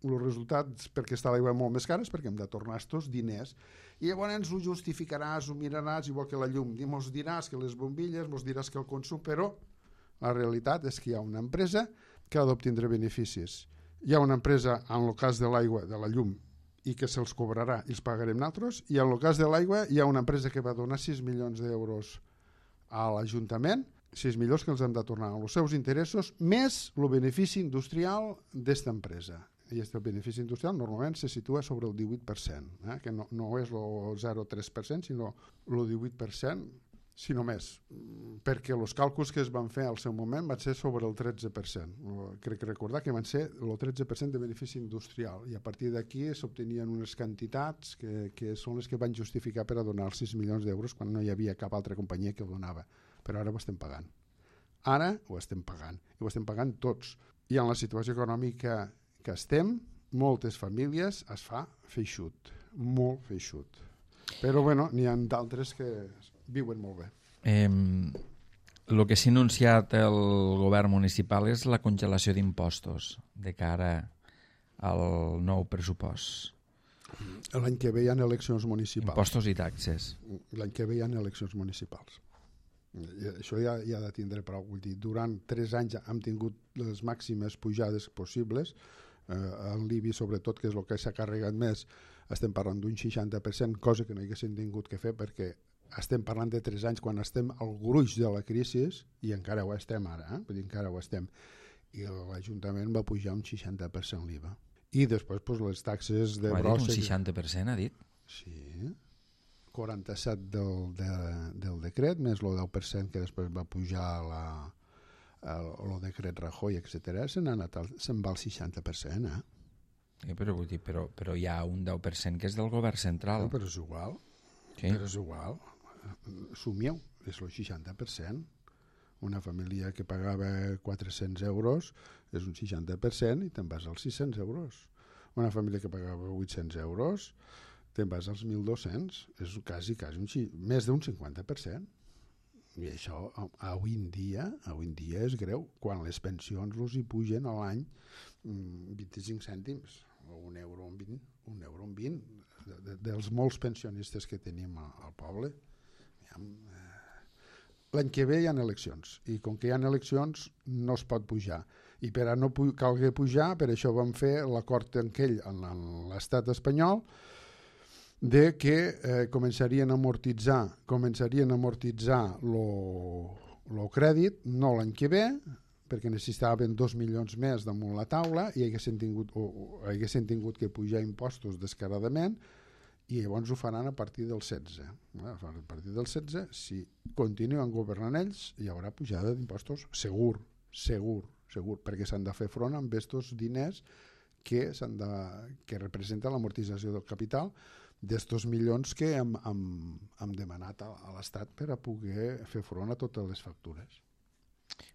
els resultats perquè està l'aigua molt més cara és perquè hem de tornar estos diners, i llavors ho justificaràs, ho miraràs, igual que la llum, i mos diràs que les bombilles, mos diràs que el consum, però la realitat és que hi ha una empresa que ha d'obtindre beneficis. Hi ha una empresa, en el cas de l'aigua, de la llum, i que se'ls cobrarà i els pagarem nosaltres, i en el cas de l'aigua hi ha una empresa que va donar sis milions d'euros a l'Ajuntament, sis milions que els hem de tornar als seus interessos, més el benefici industrial d'esta empresa. I el benefici industrial normalment se situa sobre el divuit per cent, eh? Que no, no és el zero coma tres per cent, sinó el divuit per cent, si no més, perquè els càlculs que es van fer al seu moment van ser sobre el tretze per cent. Crec recordar que van ser el tretze per cent de benefici industrial, i a partir d'aquí s'obtenien unes quantitats que, que són les que van justificar per a donar els sis milions d'euros quan no hi havia cap altra companyia que ho donava. Però ara ho estem pagant. Ara ho estem pagant, i ho estem pagant tots. I en la situació econòmica que estem, moltes famílies es fa feixut, molt feixut. Però bueno, n'hi ha d'altres que viuen molt bé. Eh, el que s'ha anunciat el govern municipal és la congelació d'impostos de cara al nou pressupost. L'any que ve hi ha eleccions municipals. Impostos i taxes. L'any que ve hi ha eleccions municipals. I això ja, ja ha de tindre prou. Vull dir, durant tres anys hem tingut les màximes pujades possibles. Eh, el l'I B I, sobretot, que és el que s'ha carregat més, estem parlant d'un seixanta per cent, cosa que no haguessin tingut que fer perquè estem parlant de tres anys quan estem al gruix de la crisi, i encara ho estem ara, eh? Vull dir, encara ho estem. I l'Ajuntament va pujar un seixanta per cent l'I V A. I després pues, les taxes de brossa... Un seixanta per cent, ha dit? Sí, quaranta-set del, de, del decret, més el deu per cent que després va pujar la, el, el decret Rajoy, etcètera. Se'n se va al seixanta per cent, eh? Sí, però, vull dir, però, però hi ha un deu per cent que és del govern central. No, però és igual. Sí. Però és igual. Sumieu, és el seixanta per cent. Una família que pagava quatre-cents euros és un seixanta per cent i te'n vas als sis-cents euros. Una família que pagava vuit-cents euros te'n vas als mil dos-cents. És quasi, quasi un, més d'un cinquanta per cent. I això avui en dia, avui en dia és greu, quan les pensions els hi pugen a l'any vint-i-cinc cèntims, o un euro en vint, un euro en vint, de, de, dels molts pensionistes que tenim al poble. L'any que ve hi ha eleccions, i com que hi ha eleccions no es pot pujar. I per a no pu calgui pujar, per això vam fer l'acord aquell en l'estat espanyol, de que eh, començarien a amortitzar començarien a amortitzar el crèdit, no l'any que ve, perquè necessitaven dos milions més damunt la taula i haguessin tingut, o, o, haguessin tingut que pujar impostos descaradament, i llavors ho faran a partir del setze. A partir del setze, si continuen governant ells, hi haurà pujada d'impostos segur, segur, segur, perquè s'han de fer front amb aquests diners que, de, que representa l'amortització del capital d'estos milions que hem, hem, hem demanat a, a l'Estat per a poder fer front a totes les factures.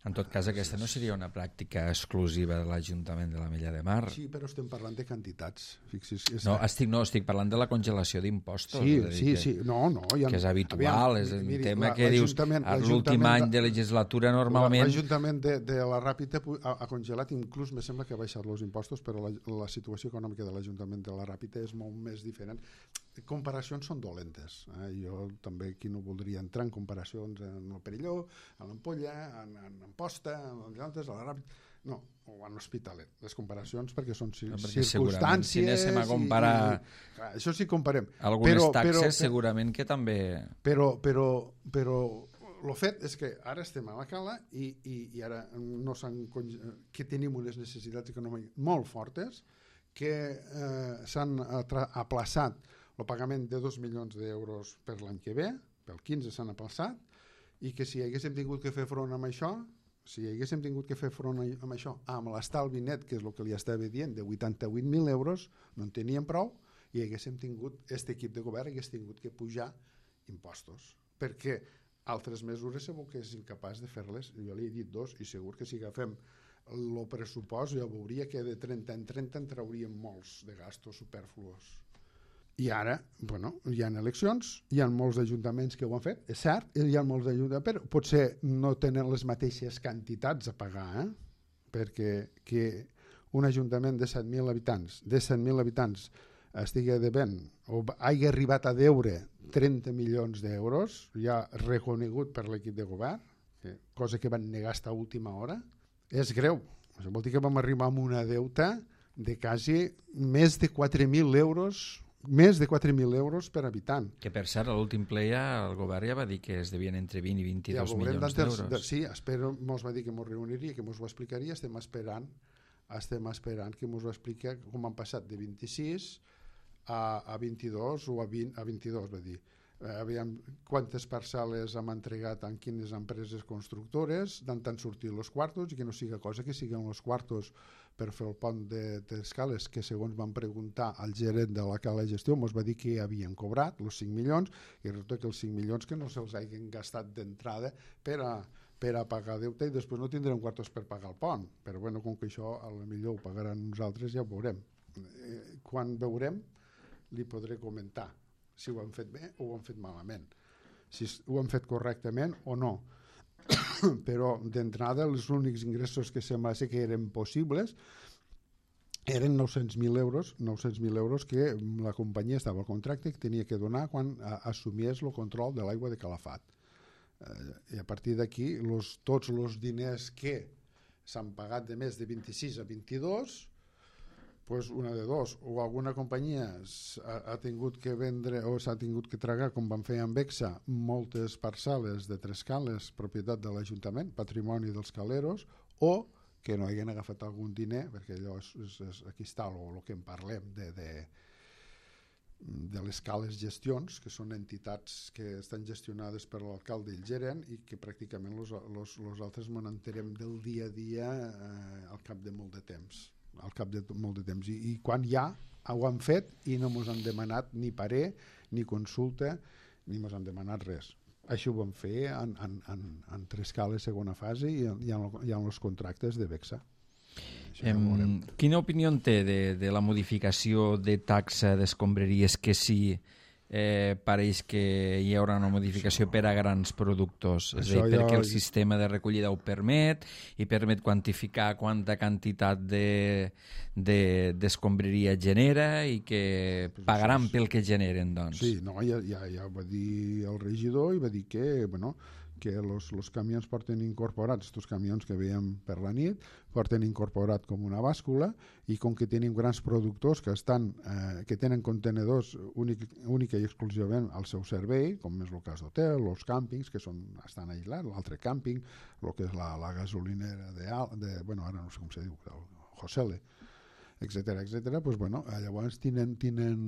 En tot cas, aquesta no seria una pràctica exclusiva de l'Ajuntament de l'Ametlla de Mar. Sí, però estem parlant de quantitats. Fixis, és no, estic, no, estic parlant de la congelació d'impostos. Sí, és sí, que, sí. No, no, ja, que és habitual, aviam, és un miri, tema la, que dius, a l'últim any de legislatura normalment... L'Ajuntament de, de la Ràpita ha, ha congelat, inclús me sembla que ha baixat els impostos, però la, la situació econòmica de l'Ajuntament de la Ràpita és molt més diferent. Comparacions són dolentes. Eh? Jo també aquí no voldria entrar en comparacions en el Perelló, a l'Ampolla, en, en Amposta, en altres, a la Ràpita... No, o en l'Hospitalet. Les comparacions perquè són cir no, perquè circumstàncies... Si anéssim a comparar... I, i, clar, això sí comparem. Algunes però, taxes però, segurament que també... Però, però, però el fet és que ara estem a la cala i, i, i ara no s'han que tenim unes necessitats econòmiques molt fortes que eh, s'han aplaçat el pagament de dos milions d'euros per l'any que ve, pel quinze s'han aplaçat, i que si haguéssim tingut que fer front amb això, si haguéssim tingut que fer front amb això, amb l'estalvi net, que és el que li estava dient, de vuitanta-vuit mil euros, no en teníem prou, i haguéssim tingut, aquest equip de govern hagués tingut que pujar impostos, perquè altres mesures segur que és incapaç de fer-les. Jo li he dit dos, i segur que si agafem el pressupost ja veuria que de trenta en trenta en trauríem molts de gastos superfluos. I ara, bueno, hi ha eleccions, hi ha molts ajuntaments que ho han fet, és cert, hi ha molts ajuntaments, però potser no tenen les mateixes quantitats a pagar, eh? Perquè que un ajuntament de set mil habitants, de set mil habitants, estigui devent o hagi arribat a deure trenta milions d'euros, ja reconegut per l'equip de govern, que, cosa que van negar fins a última hora, és greu. Això vol dir que vam arribar amb una deuta de quasi més de quatre mil euros, més de quatre mil euros per habitant. Que per cert, a l'últim ple ja el govern ja va dir que es devien entre vint i vint-i-dos ja milions d'euros. De, sí, espero, mos va dir que mos reuniria, que mos ho explicaria, estem esperant, estem esperant que mos ho expliqui com han passat de vint-i-sis a, a vint-i-dos o a vint a vint-i-dos, va dir. Eh, aviam quantes parcel·les hem entregat en quines empreses constructores, d'on han sortit els quartos, i que no siga cosa que siguin els quartos per fer el pont d'escales, que segons van preguntar al gerent de la cala de gestió, ens va dir que havien cobrat els cinc milions, i resulta que els cinc milions que no se'ls hagin gastat d'entrada per a, per a pagar deute, i després no tindrem quartos per pagar el pont. Però bueno, com que això a lo millor ho pagaran nosaltres, ja ho veurem. Eh, quan veurem, li podré comentar si ho han fet bé o ho han fet malament, si ho han fet correctament o no. Però d'entrada els únics ingressos que sembla ser que eren possibles eren nou-cents mil euros, nou-cents mil euros que la companyia estava al contracte que tenia que donar quan assumies el control de l'aigua de Calafat. Eh, I a partir d'aquí tots els diners que s'han pagat de més de vint-i-sis a vint-i-dos, pues una de dos, o alguna companyia ha, ha tingut que vendre o s'ha tingut que tragar, com van fer amb Bexa, moltes parcel·les de tres cales, propietat de l'Ajuntament, patrimoni dels caleros, o que no hagin agafat algun diner, perquè allò és, és, és aquí està el, el que en parlem de, de, de les cales gestions, que són entitats que estan gestionades per l'alcalde i el gerent, i que pràcticament els altres ens enterem del dia a dia eh, al cap de molt de temps. al cap de molt de temps, I, i quan ja ho han fet i no ens han demanat ni parer, ni consulta, ni ens han demanat res. Això ho vam fer en, en, en, en tres cales segona fase i en, i en, i en els contractes de Bexa. Em, quina opinió en té de, de la modificació de taxa d'escombraries, que sí eh, pareix que hi haurà una modificació això, per a grans productors, és a dir, perquè el sistema de recollida ho permet i permet quantificar quanta quantitat de, de, d'escombraria genera i que pagaran pel que generen, doncs. Sí, no, ja, ja, ja va dir el regidor i va dir que, bueno, que els camions porten incorporats, aquests camions que veiem per la nit, porten incorporat com una bàscula, i com que tenim grans productors que estan eh, que tenen contenedors únic, únic i exclusivament al seu servei, com és el cas d'hotel, els càmpings, que són, estan aïllats, l'altre càmping, el que és la, la gasolinera de, de, bueno, ara no sé com se diu, el Josele, etcètera, etcètera, doncs, bueno, llavors tenen, tenen,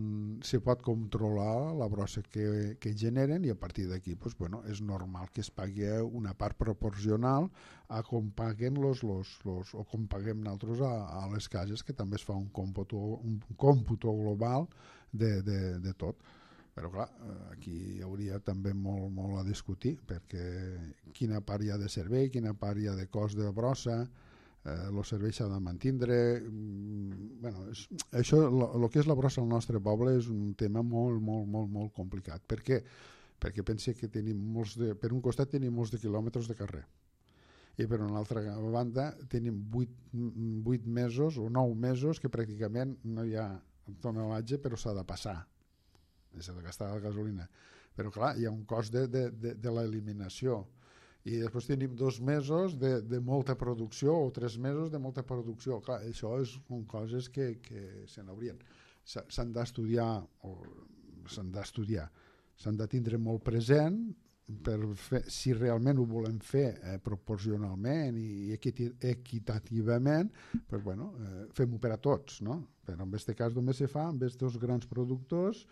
se pot controlar la brossa que, que generen, i a partir d'aquí doncs, bueno, és normal que es pagui una part proporcional a com paguen los, los, los, o com paguem nosaltres a, a les cases, que també es fa un còmputo, un còmputo global de, de, de tot. Però clar, aquí hi hauria també molt, molt a discutir, perquè quina part hi ha de servei, quina part hi ha de cost de brossa, eh, el servei s'ha de mantindre. Bueno, és, això, el que és la brossa al nostre poble és un tema molt, molt, molt, molt complicat. Per què? Perquè pense que tenim molts de, per un costat tenim molts de quilòmetres de carrer, i per una altra banda tenim vuit, vuit mesos o nou mesos que pràcticament no hi ha tonatge, però s'ha de passar, s'ha de gastar la gasolina, però clar, hi ha un cost de, de, de, de l'eliminació, i després tenim dos mesos de, de molta producció o tres mesos de molta producció. Clar, això és, són coses que, que se n'haurien, s'han d'estudiar o s'han d'estudiar s'han de tindre molt present per fer, si realment ho volem fer eh, proporcionalment i equitativament, pues bueno, eh, fem-ho per a tots, no? Però en aquest cas només se fa amb aquests grans productors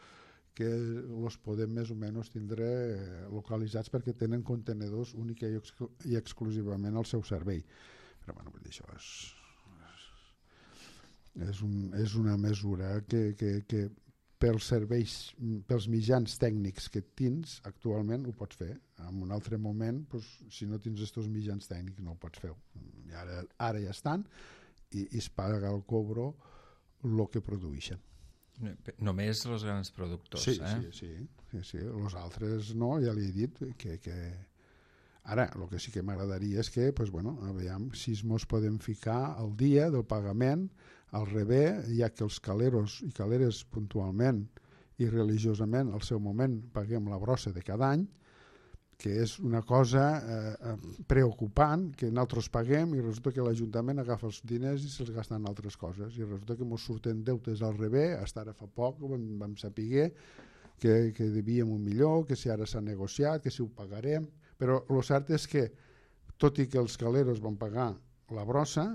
que els podem més o menys tindre eh, localitzats perquè tenen contenedors únic i, exclu i exclusivament al seu servei. Però bueno, això és, és, un, és una mesura que, que, que pels serveis, pels mitjans tècnics que tens actualment ho pots fer. En un altre moment, doncs, si no tens aquests mitjans tècnics no ho pots fer. I ara, ara ja estan i, i es paga el cobro el que produeixen. Només els grans productors, sí, eh? Sí, sí, sí, sí. Els altres no, ja li he dit que... que... Ara, el que sí que m'agradaria és que, pues, bueno, aviam si mos podem ficar el dia del pagament al revés, ja que els caleros i caleres puntualment i religiosament al seu moment paguem la brossa de cada any, que és una cosa eh, preocupant, que nosaltres paguem i resulta que l'Ajuntament agafa els diners i se'ls gasta en altres coses, i resulta que ens surten deutes al revés. Hasta ara fa poc vam, vam saber que, que devíem un millor, que si ara s'ha negociat, que si ho pagarem, però el cert és que tot i que els caleros van pagar la brossa,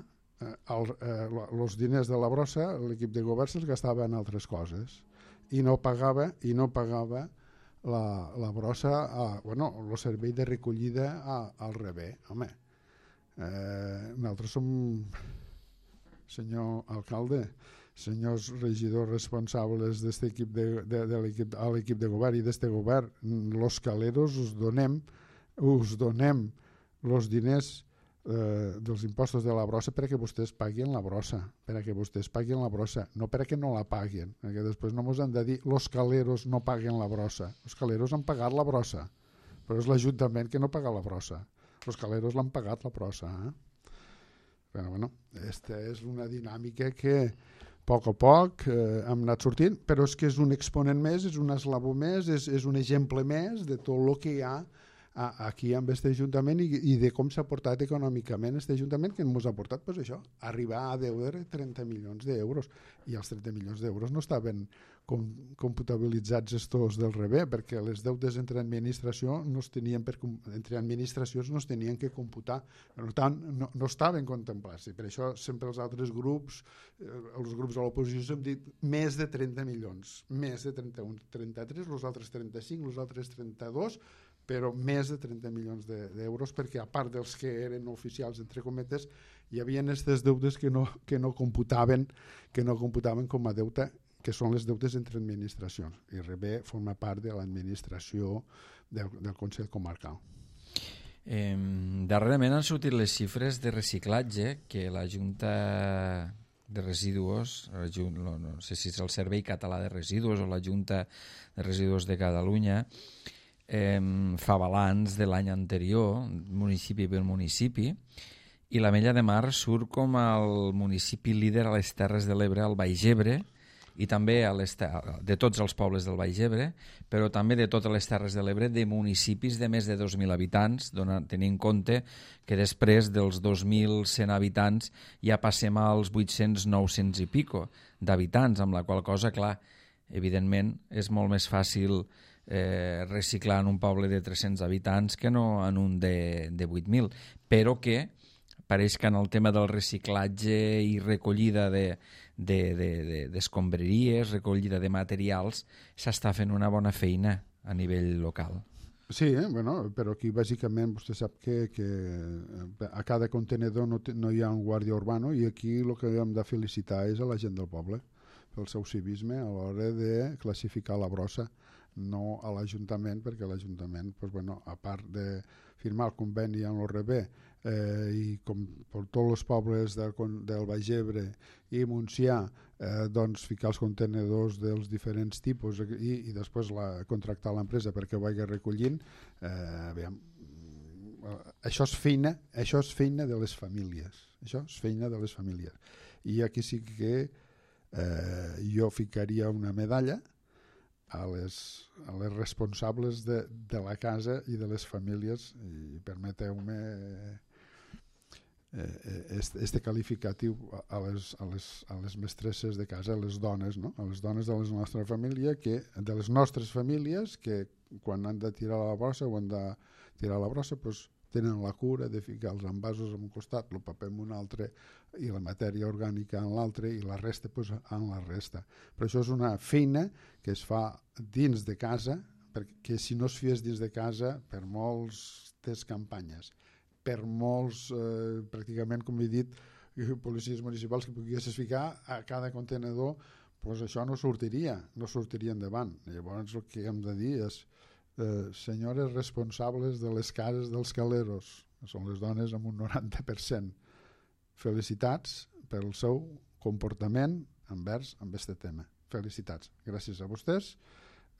els eh, diners de la brossa l'equip de govern se'ls gastava en altres coses i no pagava i no pagava la, la brossa a, bueno, el servei de recollida a, al revés. Home, eh, nosaltres som, senyor alcalde, senyors regidors responsables d'aquest equip de, de, de l'equip, a l'equip de govern i d'aquest govern, los caleros us donem us donem els diners eh, dels impostos de la brossa perquè vostès paguin la brossa, perquè vostès paguin la brossa, no perquè no la paguin, perquè després no ens han de dir los caleros no paguen la brossa. Els caleros han pagat la brossa, però és l'Ajuntament que no paga la brossa. Els caleros l'han pagat la brossa. Eh? Però bueno, aquesta és una dinàmica que a poc a poc eh, hem anat sortint, però és que és un exponent més, és un eslabó més, és, és un exemple més de tot el que hi ha aquí amb aquest Ajuntament i, i de com s'ha portat econòmicament aquest Ajuntament, que ens ha portat pues, això, arribar a deure trenta milions d'euros, i els trenta milions d'euros no estaven com, computabilitzats estos del revés, perquè les deutes entre administració no es tenien per, entre administracions no es tenien que computar, per tant no, no estaven contemplats, i per això sempre els altres grups, eh, els grups de l'oposició hem dit més de trenta milions, més de trenta-un, trenta-tres, els altres trenta-cinc, els altres trenta-dos, però més de trenta milions d'euros, perquè a part dels que eren oficials, entre cometes, hi havia aquestes deutes que no, que no computaven que no computaven com a deute, que són les deutes entre administracions, i rebé forma part de l'administració del, del Consell Comarcal. Eh, darrerament han sortit les xifres de reciclatge que la Junta de Residus, no, no sé si és el Servei Català de Residus o la Junta de Residus de Catalunya, Eh, fa balanç de l'any anterior, municipi per municipi, i l'Ametlla de Mar surt com el municipi líder a les Terres de l'Ebre, al Baix Ebre, i també a les de tots els pobles del Baix Ebre, però també de totes les Terres de l'Ebre, de municipis de més de dos mil habitants, donant, tenint en compte que després dels dos mil cent habitants ja passem als vuit-cents nou-cents i pico d'habitants, amb la qual cosa, clar, evidentment és molt més fàcil Eh, reciclar en un poble de tres-cents habitants que no en un de, de vuit mil, però que pareix que en el tema del reciclatge i recollida de, de, de, de, d'escombraries, recollida de materials, s'està fent una bona feina a nivell local. Sí, eh? Bueno, però aquí bàsicament vostè sap que, que a cada contenedor no, no hi ha un guàrdia urbano, i aquí el que hem de felicitar és a la gent del poble pel seu civisme a l'hora de classificar la brossa. no a l'Ajuntament, perquè l'Ajuntament, pues, bueno, a part de firmar el conveni amb l'O R B eh, i com per tots els pobles del, del Baix Ebre i Montsià, eh, doncs ficar els contenedors dels diferents tipus i, i després la, contractar l'empresa perquè ho vagi recollint, eh, aviam, això és feina, això és feina de les famílies, això és feina de les famílies. I aquí sí que eh, jo ficaria una medalla a les, a les responsables de, de la casa i de les famílies, i permeteu-me eh, este, este qualificatiu a les, a, les, a les mestresses de casa, a les dones, no? A les dones de la nostra família, que, de les nostres famílies, que quan han de tirar la brossa o han de tirar la brossa, pues, tenen la cura de ficar els envasos en un costat, el paper en un altre i la matèria orgànica en l'altre i la resta pues, en la resta. Però això és una feina que es fa dins de casa, perquè si no es fes dins de casa, per moltes campanyes, per molts, eh, pràcticament, com he dit, policies municipals que poguessis ficar a cada contenedor, pues això no sortiria, no sortiria endavant. Llavors el que hem de dir és Eh, senyores responsables de les cases dels caleros, que són les dones amb un noranta per cent, felicitats pel seu comportament envers amb aquest tema. Felicitats. Gràcies a vostès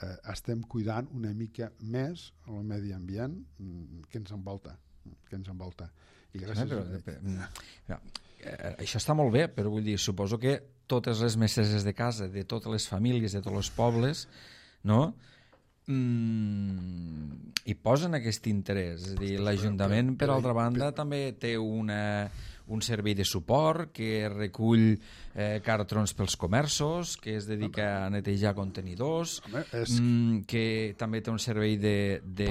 eh, estem cuidant una mica més el medi ambient que ens envolta, que ens envolta. I gràcies no, però, a... però, eh, això està molt bé, però vull dir, suposo que totes les mestresses de casa, de totes les famílies, de tots els pobles, no?, Mm, i posen aquest interès. És a dir, l'Ajuntament, per altra banda, també té una, un servei de suport que recull eh, cartrons pels comerços, que es dedica a netejar contenidors, Home, és... mm, que també té un servei de, de,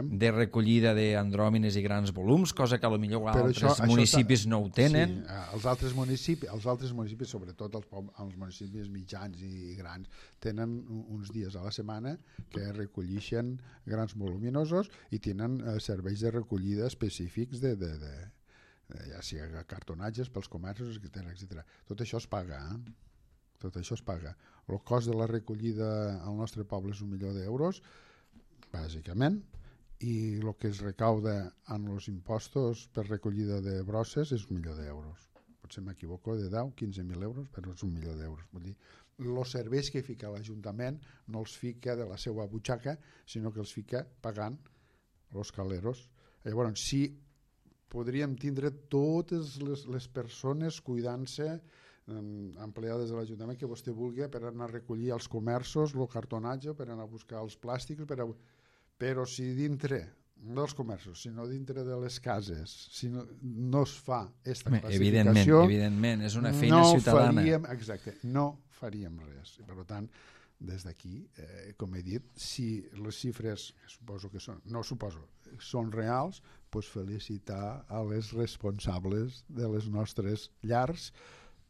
de recollida d'andròmines i grans volums, cosa que potser altres això, municipis això no ho tenen. Sí, els altres municipis, els altres municipis, sobretot els, els municipis mitjans i grans, tenen uns dies a la setmana que recollixen grans voluminosos i tenen eh, serveis de recollida específics de, de, de ja sigui cartonatges pels comerços, etcètera, etcètera. Tot això es paga, eh? Tot això es paga. El cost de la recollida al nostre poble és un milió d'euros, bàsicament, i el que es recauda en els impostos per recollida de brosses és un milió d'euros. Potser m'equivoco de deu, quinze mil euros, però és un milió d'euros. Vull dir, els serveis que fica l'Ajuntament no els fica de la seva butxaca, sinó que els fica pagant els caleros. Llavors, si podríem tindre totes les, les persones cuidant-se, eh, empleades de l'Ajuntament, que vostè vulgui, per anar a recollir als comerços el cartonatge, per anar a buscar els plàstics, per a... però si dintre dels comerços, sinó dintre de les cases, si no, no es fa aquesta classificació, evidentment, evidentment, és una feina no ciutadana. Faríem, exacte, no faríem res. I per tant, des d'aquí, eh, com he dit, si les xifres, suposo que són, no suposo, són reals, doncs felicitar a les responsables de les nostres llars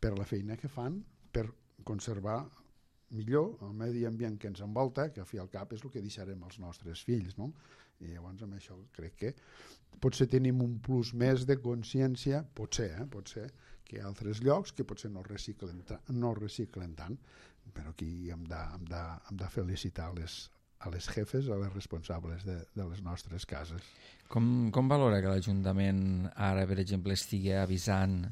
per la feina que fan per conservar millor el medi ambient que ens envolta, que al fi i al cap és el que deixarem als nostres fills, no? I llavors amb això crec que potser tenim un plus més de consciència, potser, eh? potser que a altres llocs que potser no reciclen, no reciclen tant, però aquí hem de, hem de, hem de felicitar les, a les jefes, a les responsables de, de les nostres cases. Com, com valora que l'Ajuntament ara, per exemple, estigui avisant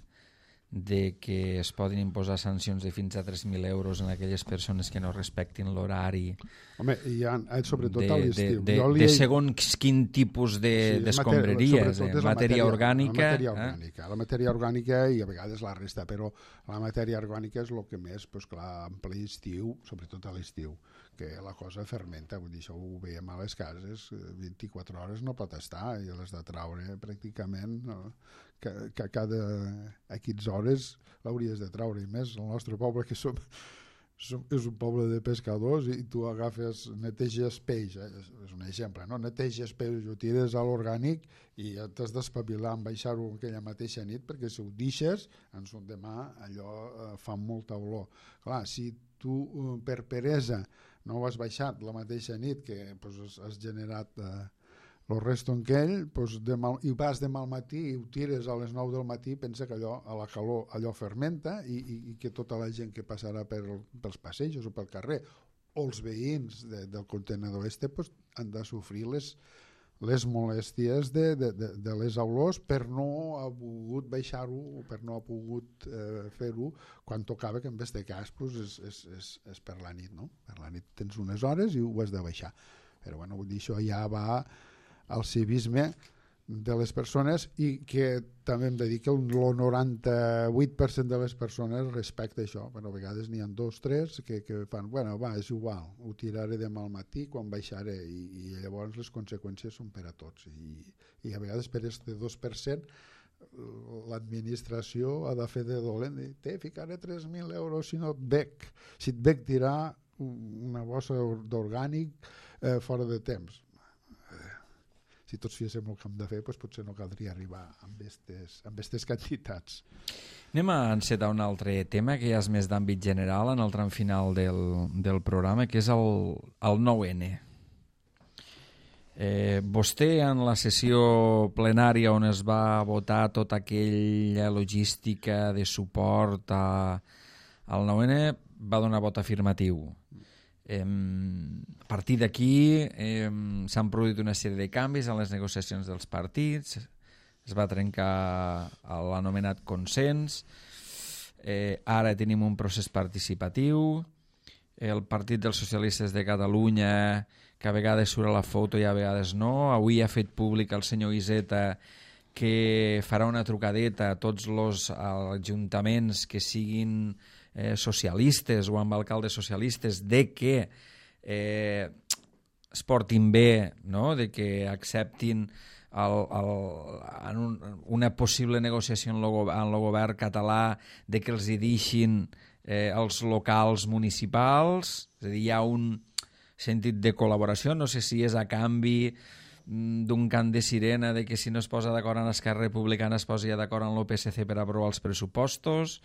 de que es poden imposar sancions de fins a tres mil euros en aquelles persones que no respectin l'horari? Home, hi ha, sobretot de, a l'estiu. De, de, de segons quin tipus d'escombraries, de, de matèria orgànica. La matèria orgànica, eh? la matèria orgànica i a vegades la resta, però la matèria orgànica és el que més, doncs clar, en ple estiu, sobretot a l'estiu, que la cosa fermenta, vull dir, això ho veiem a les cases, vint-i-quatre hores no pot estar i les de traure pràcticament, no? que, que cada X hores l'hauries de traure, i més el nostre poble que som, som és un poble de pescadors i tu agafes, neteges peix, eh? És un exemple, no? Neteges peix, ho tires a l'orgànic i t'has d'espavilar en baixar-ho aquella mateixa nit, perquè si ho deixes en son demà allò eh, fa molta olor. Clar, si tu eh, per peresa no ho has baixat la mateixa nit que pues, has, has generat eh, el resto en aquell, pues, de mal, i vas demà al matí i ho tires a les nou del matí, pensa que allò, a la calor allò fermenta i, i, i que tota la gent que passarà per, pels passejos o pel carrer o els veïns de, del contenedor este pues, han de sofrir les, les molèsties de, de, de, de les olors per no ha pogut baixar-ho o per no ha pogut eh, fer-ho quan tocava, que en aquest cas pues, és, és, és, és per la nit, no? Per la nit tens unes hores i ho has de baixar. Però bueno, vull dir, això ja va al civisme de les persones i que també hem de dir que el noranta-vuit per cent de les persones respecta això, però a vegades n'hi ha dos, tres que, que fan, bueno, va, és igual, ho tiraré demà al matí quan baixaré i, i llavors les conseqüències són per a tots i, i a vegades per este dos per cent l'administració ha de fer de dolent i te ficaré tres mil euros si no et bec, si et bec tirar una bossa d'orgànic eh, fora de temps. Si tots féssim el que hem de fer, doncs potser no caldria arribar amb aquestes amb aquestes quantitats. Anem a encetar un altre tema que ja és més d'àmbit general en el tram final del, del programa, que és el, el nou ene. Eh, vostè en la sessió plenària on es va votar tota aquella logística de suport a, al nou ene va donar vot afirmatiu. Eh, a partir d'aquí eh, s'han produït una sèrie de canvis en les negociacions dels partits, es va trencar l'anomenat consens, eh, ara tenim un procés participatiu, el Partit dels Socialistes de Catalunya, que a vegades surt a la foto i a vegades no, avui ha fet públic el senyor Iseta que farà una trucadeta a tots els ajuntaments que siguin eh, socialistes o amb alcaldes socialistes de que eh, es portin bé, no? De que acceptin el, el, en un, una possible negociació en el govern català, de que els hi deixin eh, els locals municipals, és a dir, hi ha un sentit de col·laboració, no sé si és a canvi d'un cant de sirena de que si no es posa d'acord amb Esquerra Republicana es posi d'acord amb l'O P S C per aprovar els pressupostos.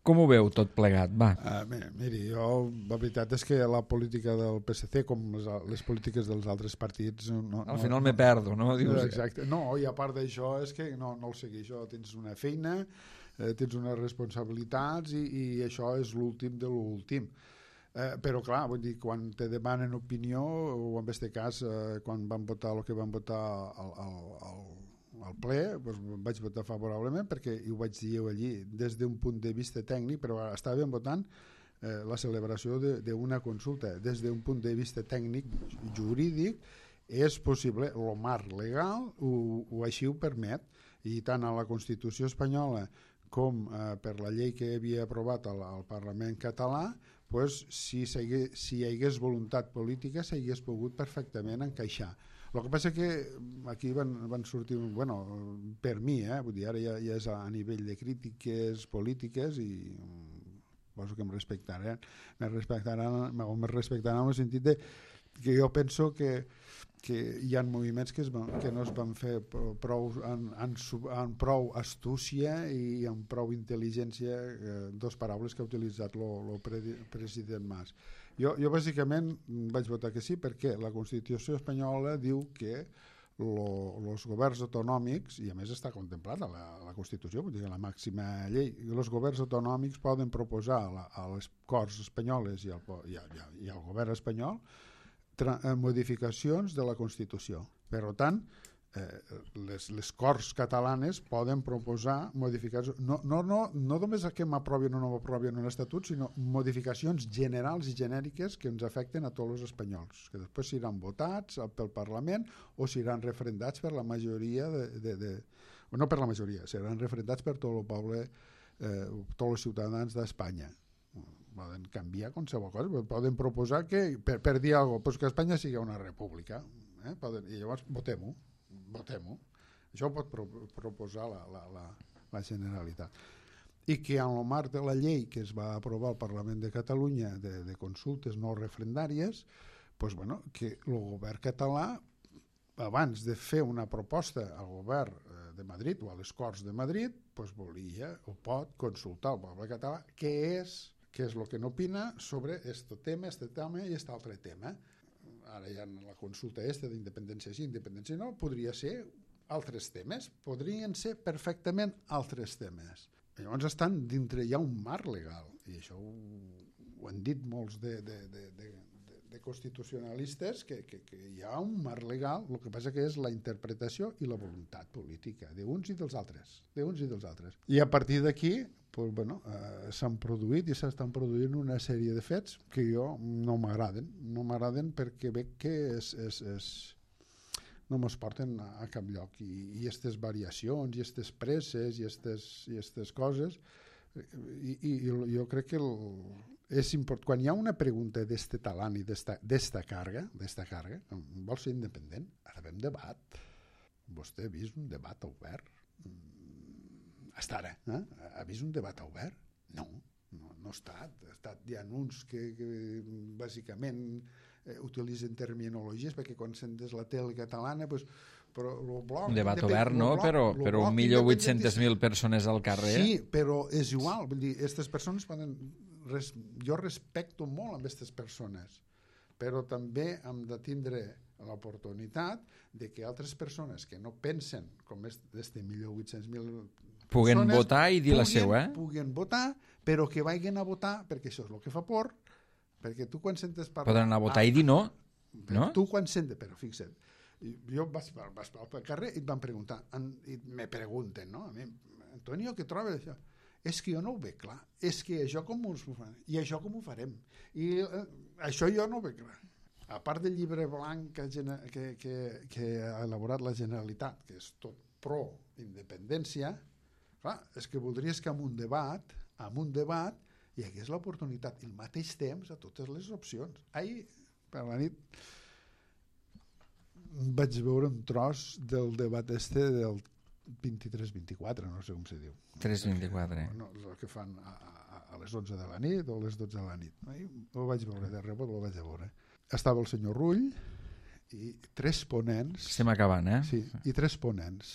Com ho veu tot plegat? Va. Uh, miri, jo la veritat és que la política del P S C, com les, les polítiques dels altres partits... No, Al no, final no, me perdo, no? Dius, exacte. No, i a part d'això és que no, no el segueixo. Tens una feina, eh, tens unes responsabilitats i, i això és l'últim de l'últim. Eh, però clar, vull dir, quan te demanen opinió, o en aquest cas eh, quan van votar el que van votar al, al, al, al ple, doncs vaig votar favorablement perquè ho vaig dir allí des d'un punt de vista tècnic, però estàvem votant eh, la celebració d'una consulta. Des d'un punt de vista tècnic jurídic és possible, el marc legal ho, ho així ho permet, i tant a la Constitució espanyola com eh, per la llei que havia aprovat al, al Parlament català, pues, si, si hi hagués voluntat política s'hagués pogut perfectament encaixar. El que passa que aquí van, van sortir, bueno, per mi, eh, vull dir, ara ja, ja és a nivell de crítiques polítiques i poso que em respectaran, me respectaran, me respectaran en el sentit de que jo penso que que hi ha moviments que, es van, que no es van fer prou, en, en, en prou astúcia i amb prou intel·ligència, eh, dos paraules que ha utilitzat el president Mas. Jo, jo bàsicament vaig votar que sí perquè la Constitució espanyola diu que els governs autonòmics, i a més està contemplat a la, a la Constitució, vull dir, la màxima llei, els governs autonòmics poden proposar a, la, a les Corts espanyoles i al, i, a, i al govern espanyol modificacions de la Constitució. Per tant, eh, les, les Corts catalanes poden proposar modificacions, no, no, no, no només que m'aprovin o no m'aprovin un estatut, sinó modificacions generals i genèriques que ens afecten a tots els espanyols, que després seran votats pel Parlament o seran referendats per la majoria de, de, de no per la majoria, seran referendats per tot el poble, eh, tots els ciutadans d'Espanya. Poden canviar qualsevol cosa, poden proposar que, per, per dir alguna cosa, pues que Espanya sigui una república, eh? Poden, i llavors votem-ho, votem-ho. Això ho pot pro, proposar la, la, la, la Generalitat. I que en el marc de la llei que es va aprovar al Parlament de Catalunya de, de consultes no referendàries, pues bueno, que el govern català, abans de fer una proposta al govern de Madrid o a les Corts de Madrid, pues volia o pot consultar al poble català què és què és el que n'opina sobre este tema, este tema i este altre tema. Ara hi ha la consulta aquesta d'independència sí, independència no, podria ser altres temes, podrien ser perfectament altres temes. Llavors estan dintre, hi ha un marc legal, i això ho, ho han dit molts de, de, de, de, de, de constitucionalistes, que, que, que hi ha un marc legal, el que passa que és la interpretació i la voluntat política d'uns i dels altres, d'uns i dels altres. I a partir d'aquí pues, bueno, eh, s'han produït i s'estan produint una sèrie de fets que jo no m'agraden, no m'agraden perquè veig que és, és, és no mos porten a cap lloc i aquestes variacions i aquestes presses i aquestes coses i, i, i jo crec que el, és important, quan hi ha una pregunta d'este talant i d'esta càrrega d'esta càrrega, vol ser independent ha d'haver un debat. Vostè ha vist un debat obert? Hasta ara, eh? Ha vist un debat obert? No, no, no ha estat, ha estat hi ha uns que, que bàsicament eh, utilitzen terminologies perquè quan sentes la tele catalana pues, però el bloc... Un debat obert, no? Bloc, però però un milió vuit-centes mil persones al carrer... Sí, però és igual. Vull dir, aquestes persones poden... Res, jo respecto molt amb aquestes persones, però també hem de tindre l'oportunitat de que altres persones que no pensen com és d'este milió vuit-cents mil puguen votar i dir puguen, la seva. Eh? Puguen votar, però que vagin a votar, perquè això és el que fa por, perquè tu quan sentes parlar... Poden anar a votar ah, i dir no. no? Tu quan sentes... Però fixa't, jo vaig, vaig pel carrer i et van preguntar, i me pregunten, no? A mi, Antonio, què trobes això? És que jo no ho veig clar, és que això com ho fan, i això com ho farem, i eh, això jo no ho veig clar. A part del llibre blanc que, que, que, que ha elaborat la Generalitat, que és tot pro-independència, clar, és que voldries que amb un debat, amb un debat, hi hagués l'oportunitat i al mateix temps a totes les opcions. Ahir, per la nit, vaig veure un tros del debat este del vint-i-tres vint-i-quatre, no sé com se diu. tres vint-i-quatre. No, el que fan a, a, a les onze de la nit o a les dotze de la nit. Ho vaig veure de rebot, ho vaig veure. Estava el senyor Rull i tres ponents... Estem acabant, eh? Sí, i tres ponents.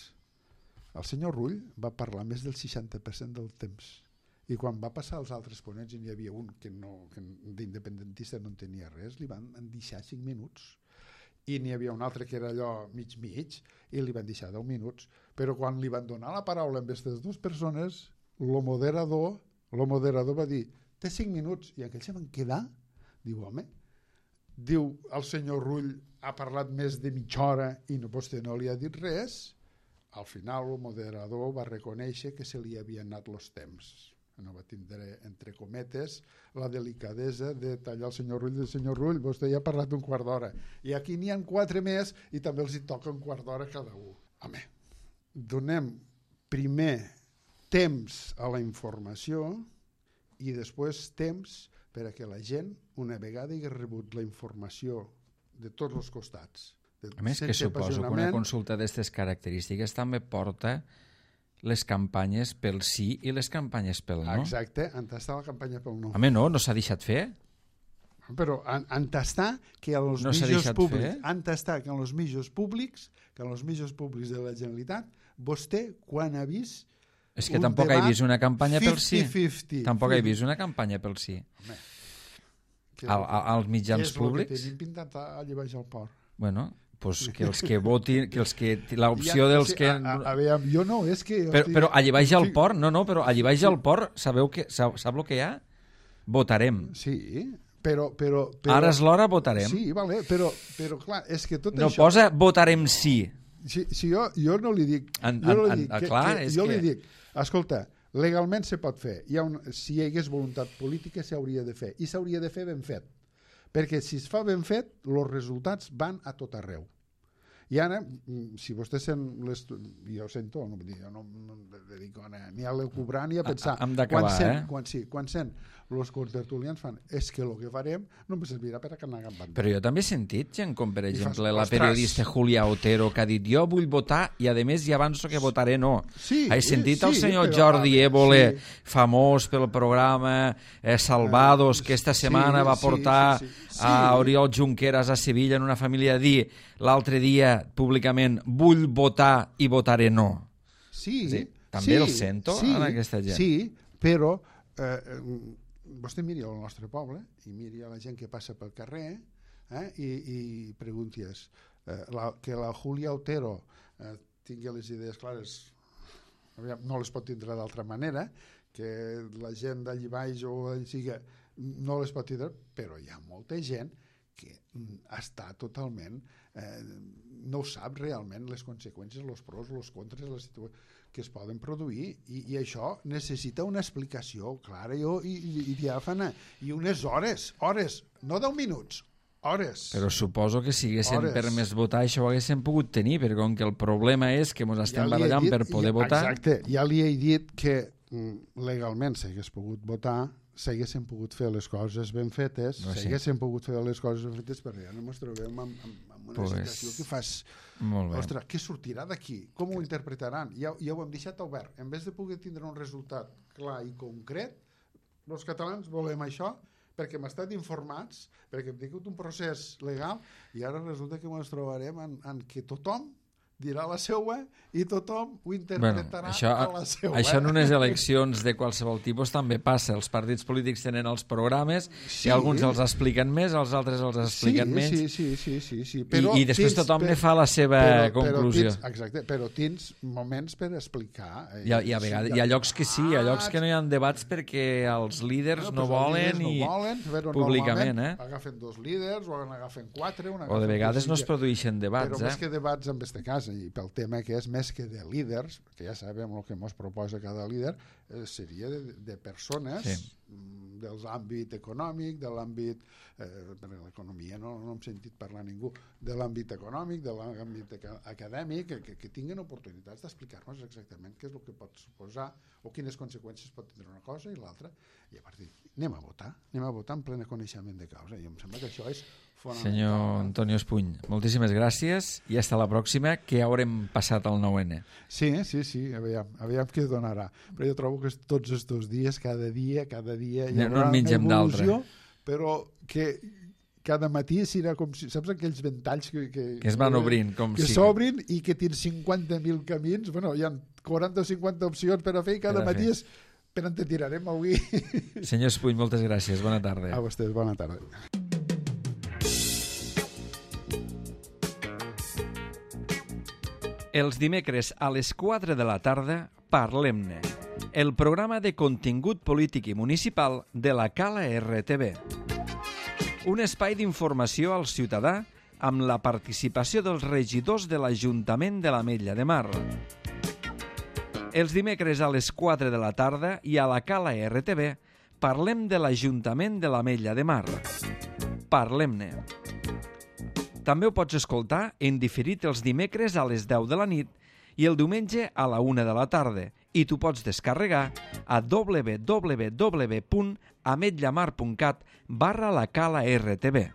El senyor Rull va parlar més del seixanta per cent del temps. I quan va passar als altres ponents i n'hi havia un que, no, que d'independentista no en tenia res, li van deixar cinc minuts. I n'hi havia un altre que era allò mig-mig i li van deixar deu minuts, però quan li van donar la paraula amb aquestes dues persones, el moderador, el moderador va dir, té cinc minuts, i aquells se van quedar, diu, home, diu, el senyor Rull ha parlat més de mitja hora i no, vostè no li ha dit res, al final el moderador va reconèixer que se li havien anat els temps. No va tindre, entre cometes, la delicadesa de tallar el senyor Rull. El senyor Rull, vostè ja ha parlat un quart d'hora. I aquí n'hi ha quatre més i també els hi toca un quart d'hora cada un. Home, donem primer temps a la informació i després temps per a que la gent, una vegada hagi rebut la informació de tots els costats, a més que suposo que una consulta d'aquestes característiques també porta les campanyes pel sí i les campanyes pel no. Exacte, entastar la campanya pel no. Home, no, no s'ha deixat fer. Però entastar que als no mitjans públics, entastar que als mitjans públics, que als mitjans públics de la Generalitat, vostè quan ha vist és que tampoc he vist una campanya pel sí. cinquanta cinquanta. Tampoc he vist una campanya pel sí. Home, al, als mitjans públics. És el que tenim pintat allà baix al port. Bueno, pues que els que votin, que els que l'opció dels sí, que... A, a, a veure, jo no, és que... Però, però allà baix al port, no, no, però allà baix al port, sabeu que, sap, sap el que hi ha? Votarem. Sí, però... però, però ara és l'hora, votarem. Sí, vale, però, però clar, és que tot no això... No posa votarem sí. Si, si jo, jo no li dic... En, jo no li en, dic en, que, clar, que, és jo que... li dic, escolta, legalment se pot fer. Hi ha un, si hi hagués voluntat política s'hauria de fer. I s'hauria de fer ben fet. Perquè si es fa ben fet, els resultats van a tot arreu. I ara, si vostè sent jo sento, no, jo no em dedico ni a l'encobrar ni a pensar. Hem d'acabar, quan sent, eh? Quan, sí, quan sent els contertulians fan és que el que farem no em servirà per a que anar banda. Però jo també he sentit gent com, per exemple, fas, la periodista Julia Otero, que ha dit jo vull votar i a més ja avanço que votaré no. Sí, he sentit sí, el senyor però, Jordi Évole, sí. famós pel programa eh, Salvados, que esta setmana sí, va portar sí, sí, sí. Sí. a Oriol Junqueras a Sevilla en una família a dir l'altre dia públicament vull votar i votaré no. Sí, sí també sí, el sento sí, en aquesta gent. Sí, però eh, vostè miri al nostre poble i miri a la gent que passa pel carrer eh, i, i pregunties eh, la, que la Julia Otero eh, tingui les idees clares, no les pot tindre d'altra manera, que la gent d'allí baix o sigui, no les pot tindre, però hi ha molta gent que està totalment, eh, no sap realment les conseqüències, els pros, els contres, les situacions que es poden produir, i, i això necessita una explicació clara i, i, i diàfana, i unes hores, hores, no deu minuts, hores. Però suposo que si haguessin hores. permès votar això ho haguessin pogut tenir, perquè com que el problema és que ens estem ja barallant dit, per poder ja, votar... Exacte, ja li he dit que legalment s'hagués pogut votar, s'haguessin pogut fer les coses ben fetes, no, sí. s'haguessin pogut fer les coses ben fetes, perquè ja no ens trobem amb, amb, amb una pues, situació que fas... Ostres, què sortirà d'aquí? Com ho interpretaran? Ja, ja ho hem deixat obert. En vez de poder tindre un resultat clar i concret, els catalans volem això, perquè hem estat informats, perquè hem tingut un procés legal, i ara resulta que ens trobarem en, en què tothom dirà la seua i tothom ho interpretarà bueno, això, a la seua. Això en unes eleccions de qualsevol tipus també passa. Els partits polítics tenen els programes, sí. i alguns els expliquen més, els altres els expliquen sí, menys. Sí, sí, sí, sí, sí. Però I, i després tens, tothom per, ne fa la seva però, conclusió. Però tens, exacte, però tens moments per explicar. Eh, hi, ha, hi, ha vegades, hi ha llocs que sí, hi ha llocs que no hi ha debats perquè els líders no, no volen no i volen, públicament. Eh? Agafen dos líders o agafen quatre. O de vegades no es produeixen debats. Però eh? més que debats en este cas, i pel tema que és més que de líders, que ja sabem el que ens proposa cada líder, eh, seria de, de persones sí. de l'àmbit econòmic, de l'àmbit, eh, per l'economia no, no hem sentit parlar ningú, de l'àmbit econòmic, de l'àmbit acadèmic, que, que tinguin oportunitats d'explicar-nos exactament què és el que pot suposar o quines conseqüències pot tindre una cosa i l'altra, i a partir d'aquí anem a votar, anem a votar en plena coneixement de causa, i em sembla que això és Senyor Antonio Espuny, moltíssimes gràcies i fins la pròxima, que ja haurem passat el nou ene. Sí, sí, sí, aviam, aviam què donarà. Però jo trobo que tots aquests dies, cada dia, cada dia hi haurà no una evolució, però que cada matí serà com si, saps aquells ventalls que, que, que es van obrint, com que si... s'obrin i que tens cinquanta mil camins, bueno, hi ha quaranta o cinquanta opcions per a fer i cada matí és per on te tirarem avui. Senyor Espuny, moltes gràcies, bona tarda. A vostès, bona tarda. Els dimecres a les quatre de la tarda, Parlem-ne, el programa de contingut polític i municipal de la Cala R T V. Un espai d'informació al ciutadà amb la participació dels regidors de l'Ajuntament de l'Ametlla de Mar. Els dimecres a les quatre de la tarda i a la Cala R T V parlem de l'Ajuntament de l'Ametlla de Mar. Parlem-ne. També ho pots escoltar en diferit els dimecres a les deu de la nit i el diumenge a la una de la tarda, i t'ho pots descarregar a w w w punt ametlla mar punt cat barra la cala R T V.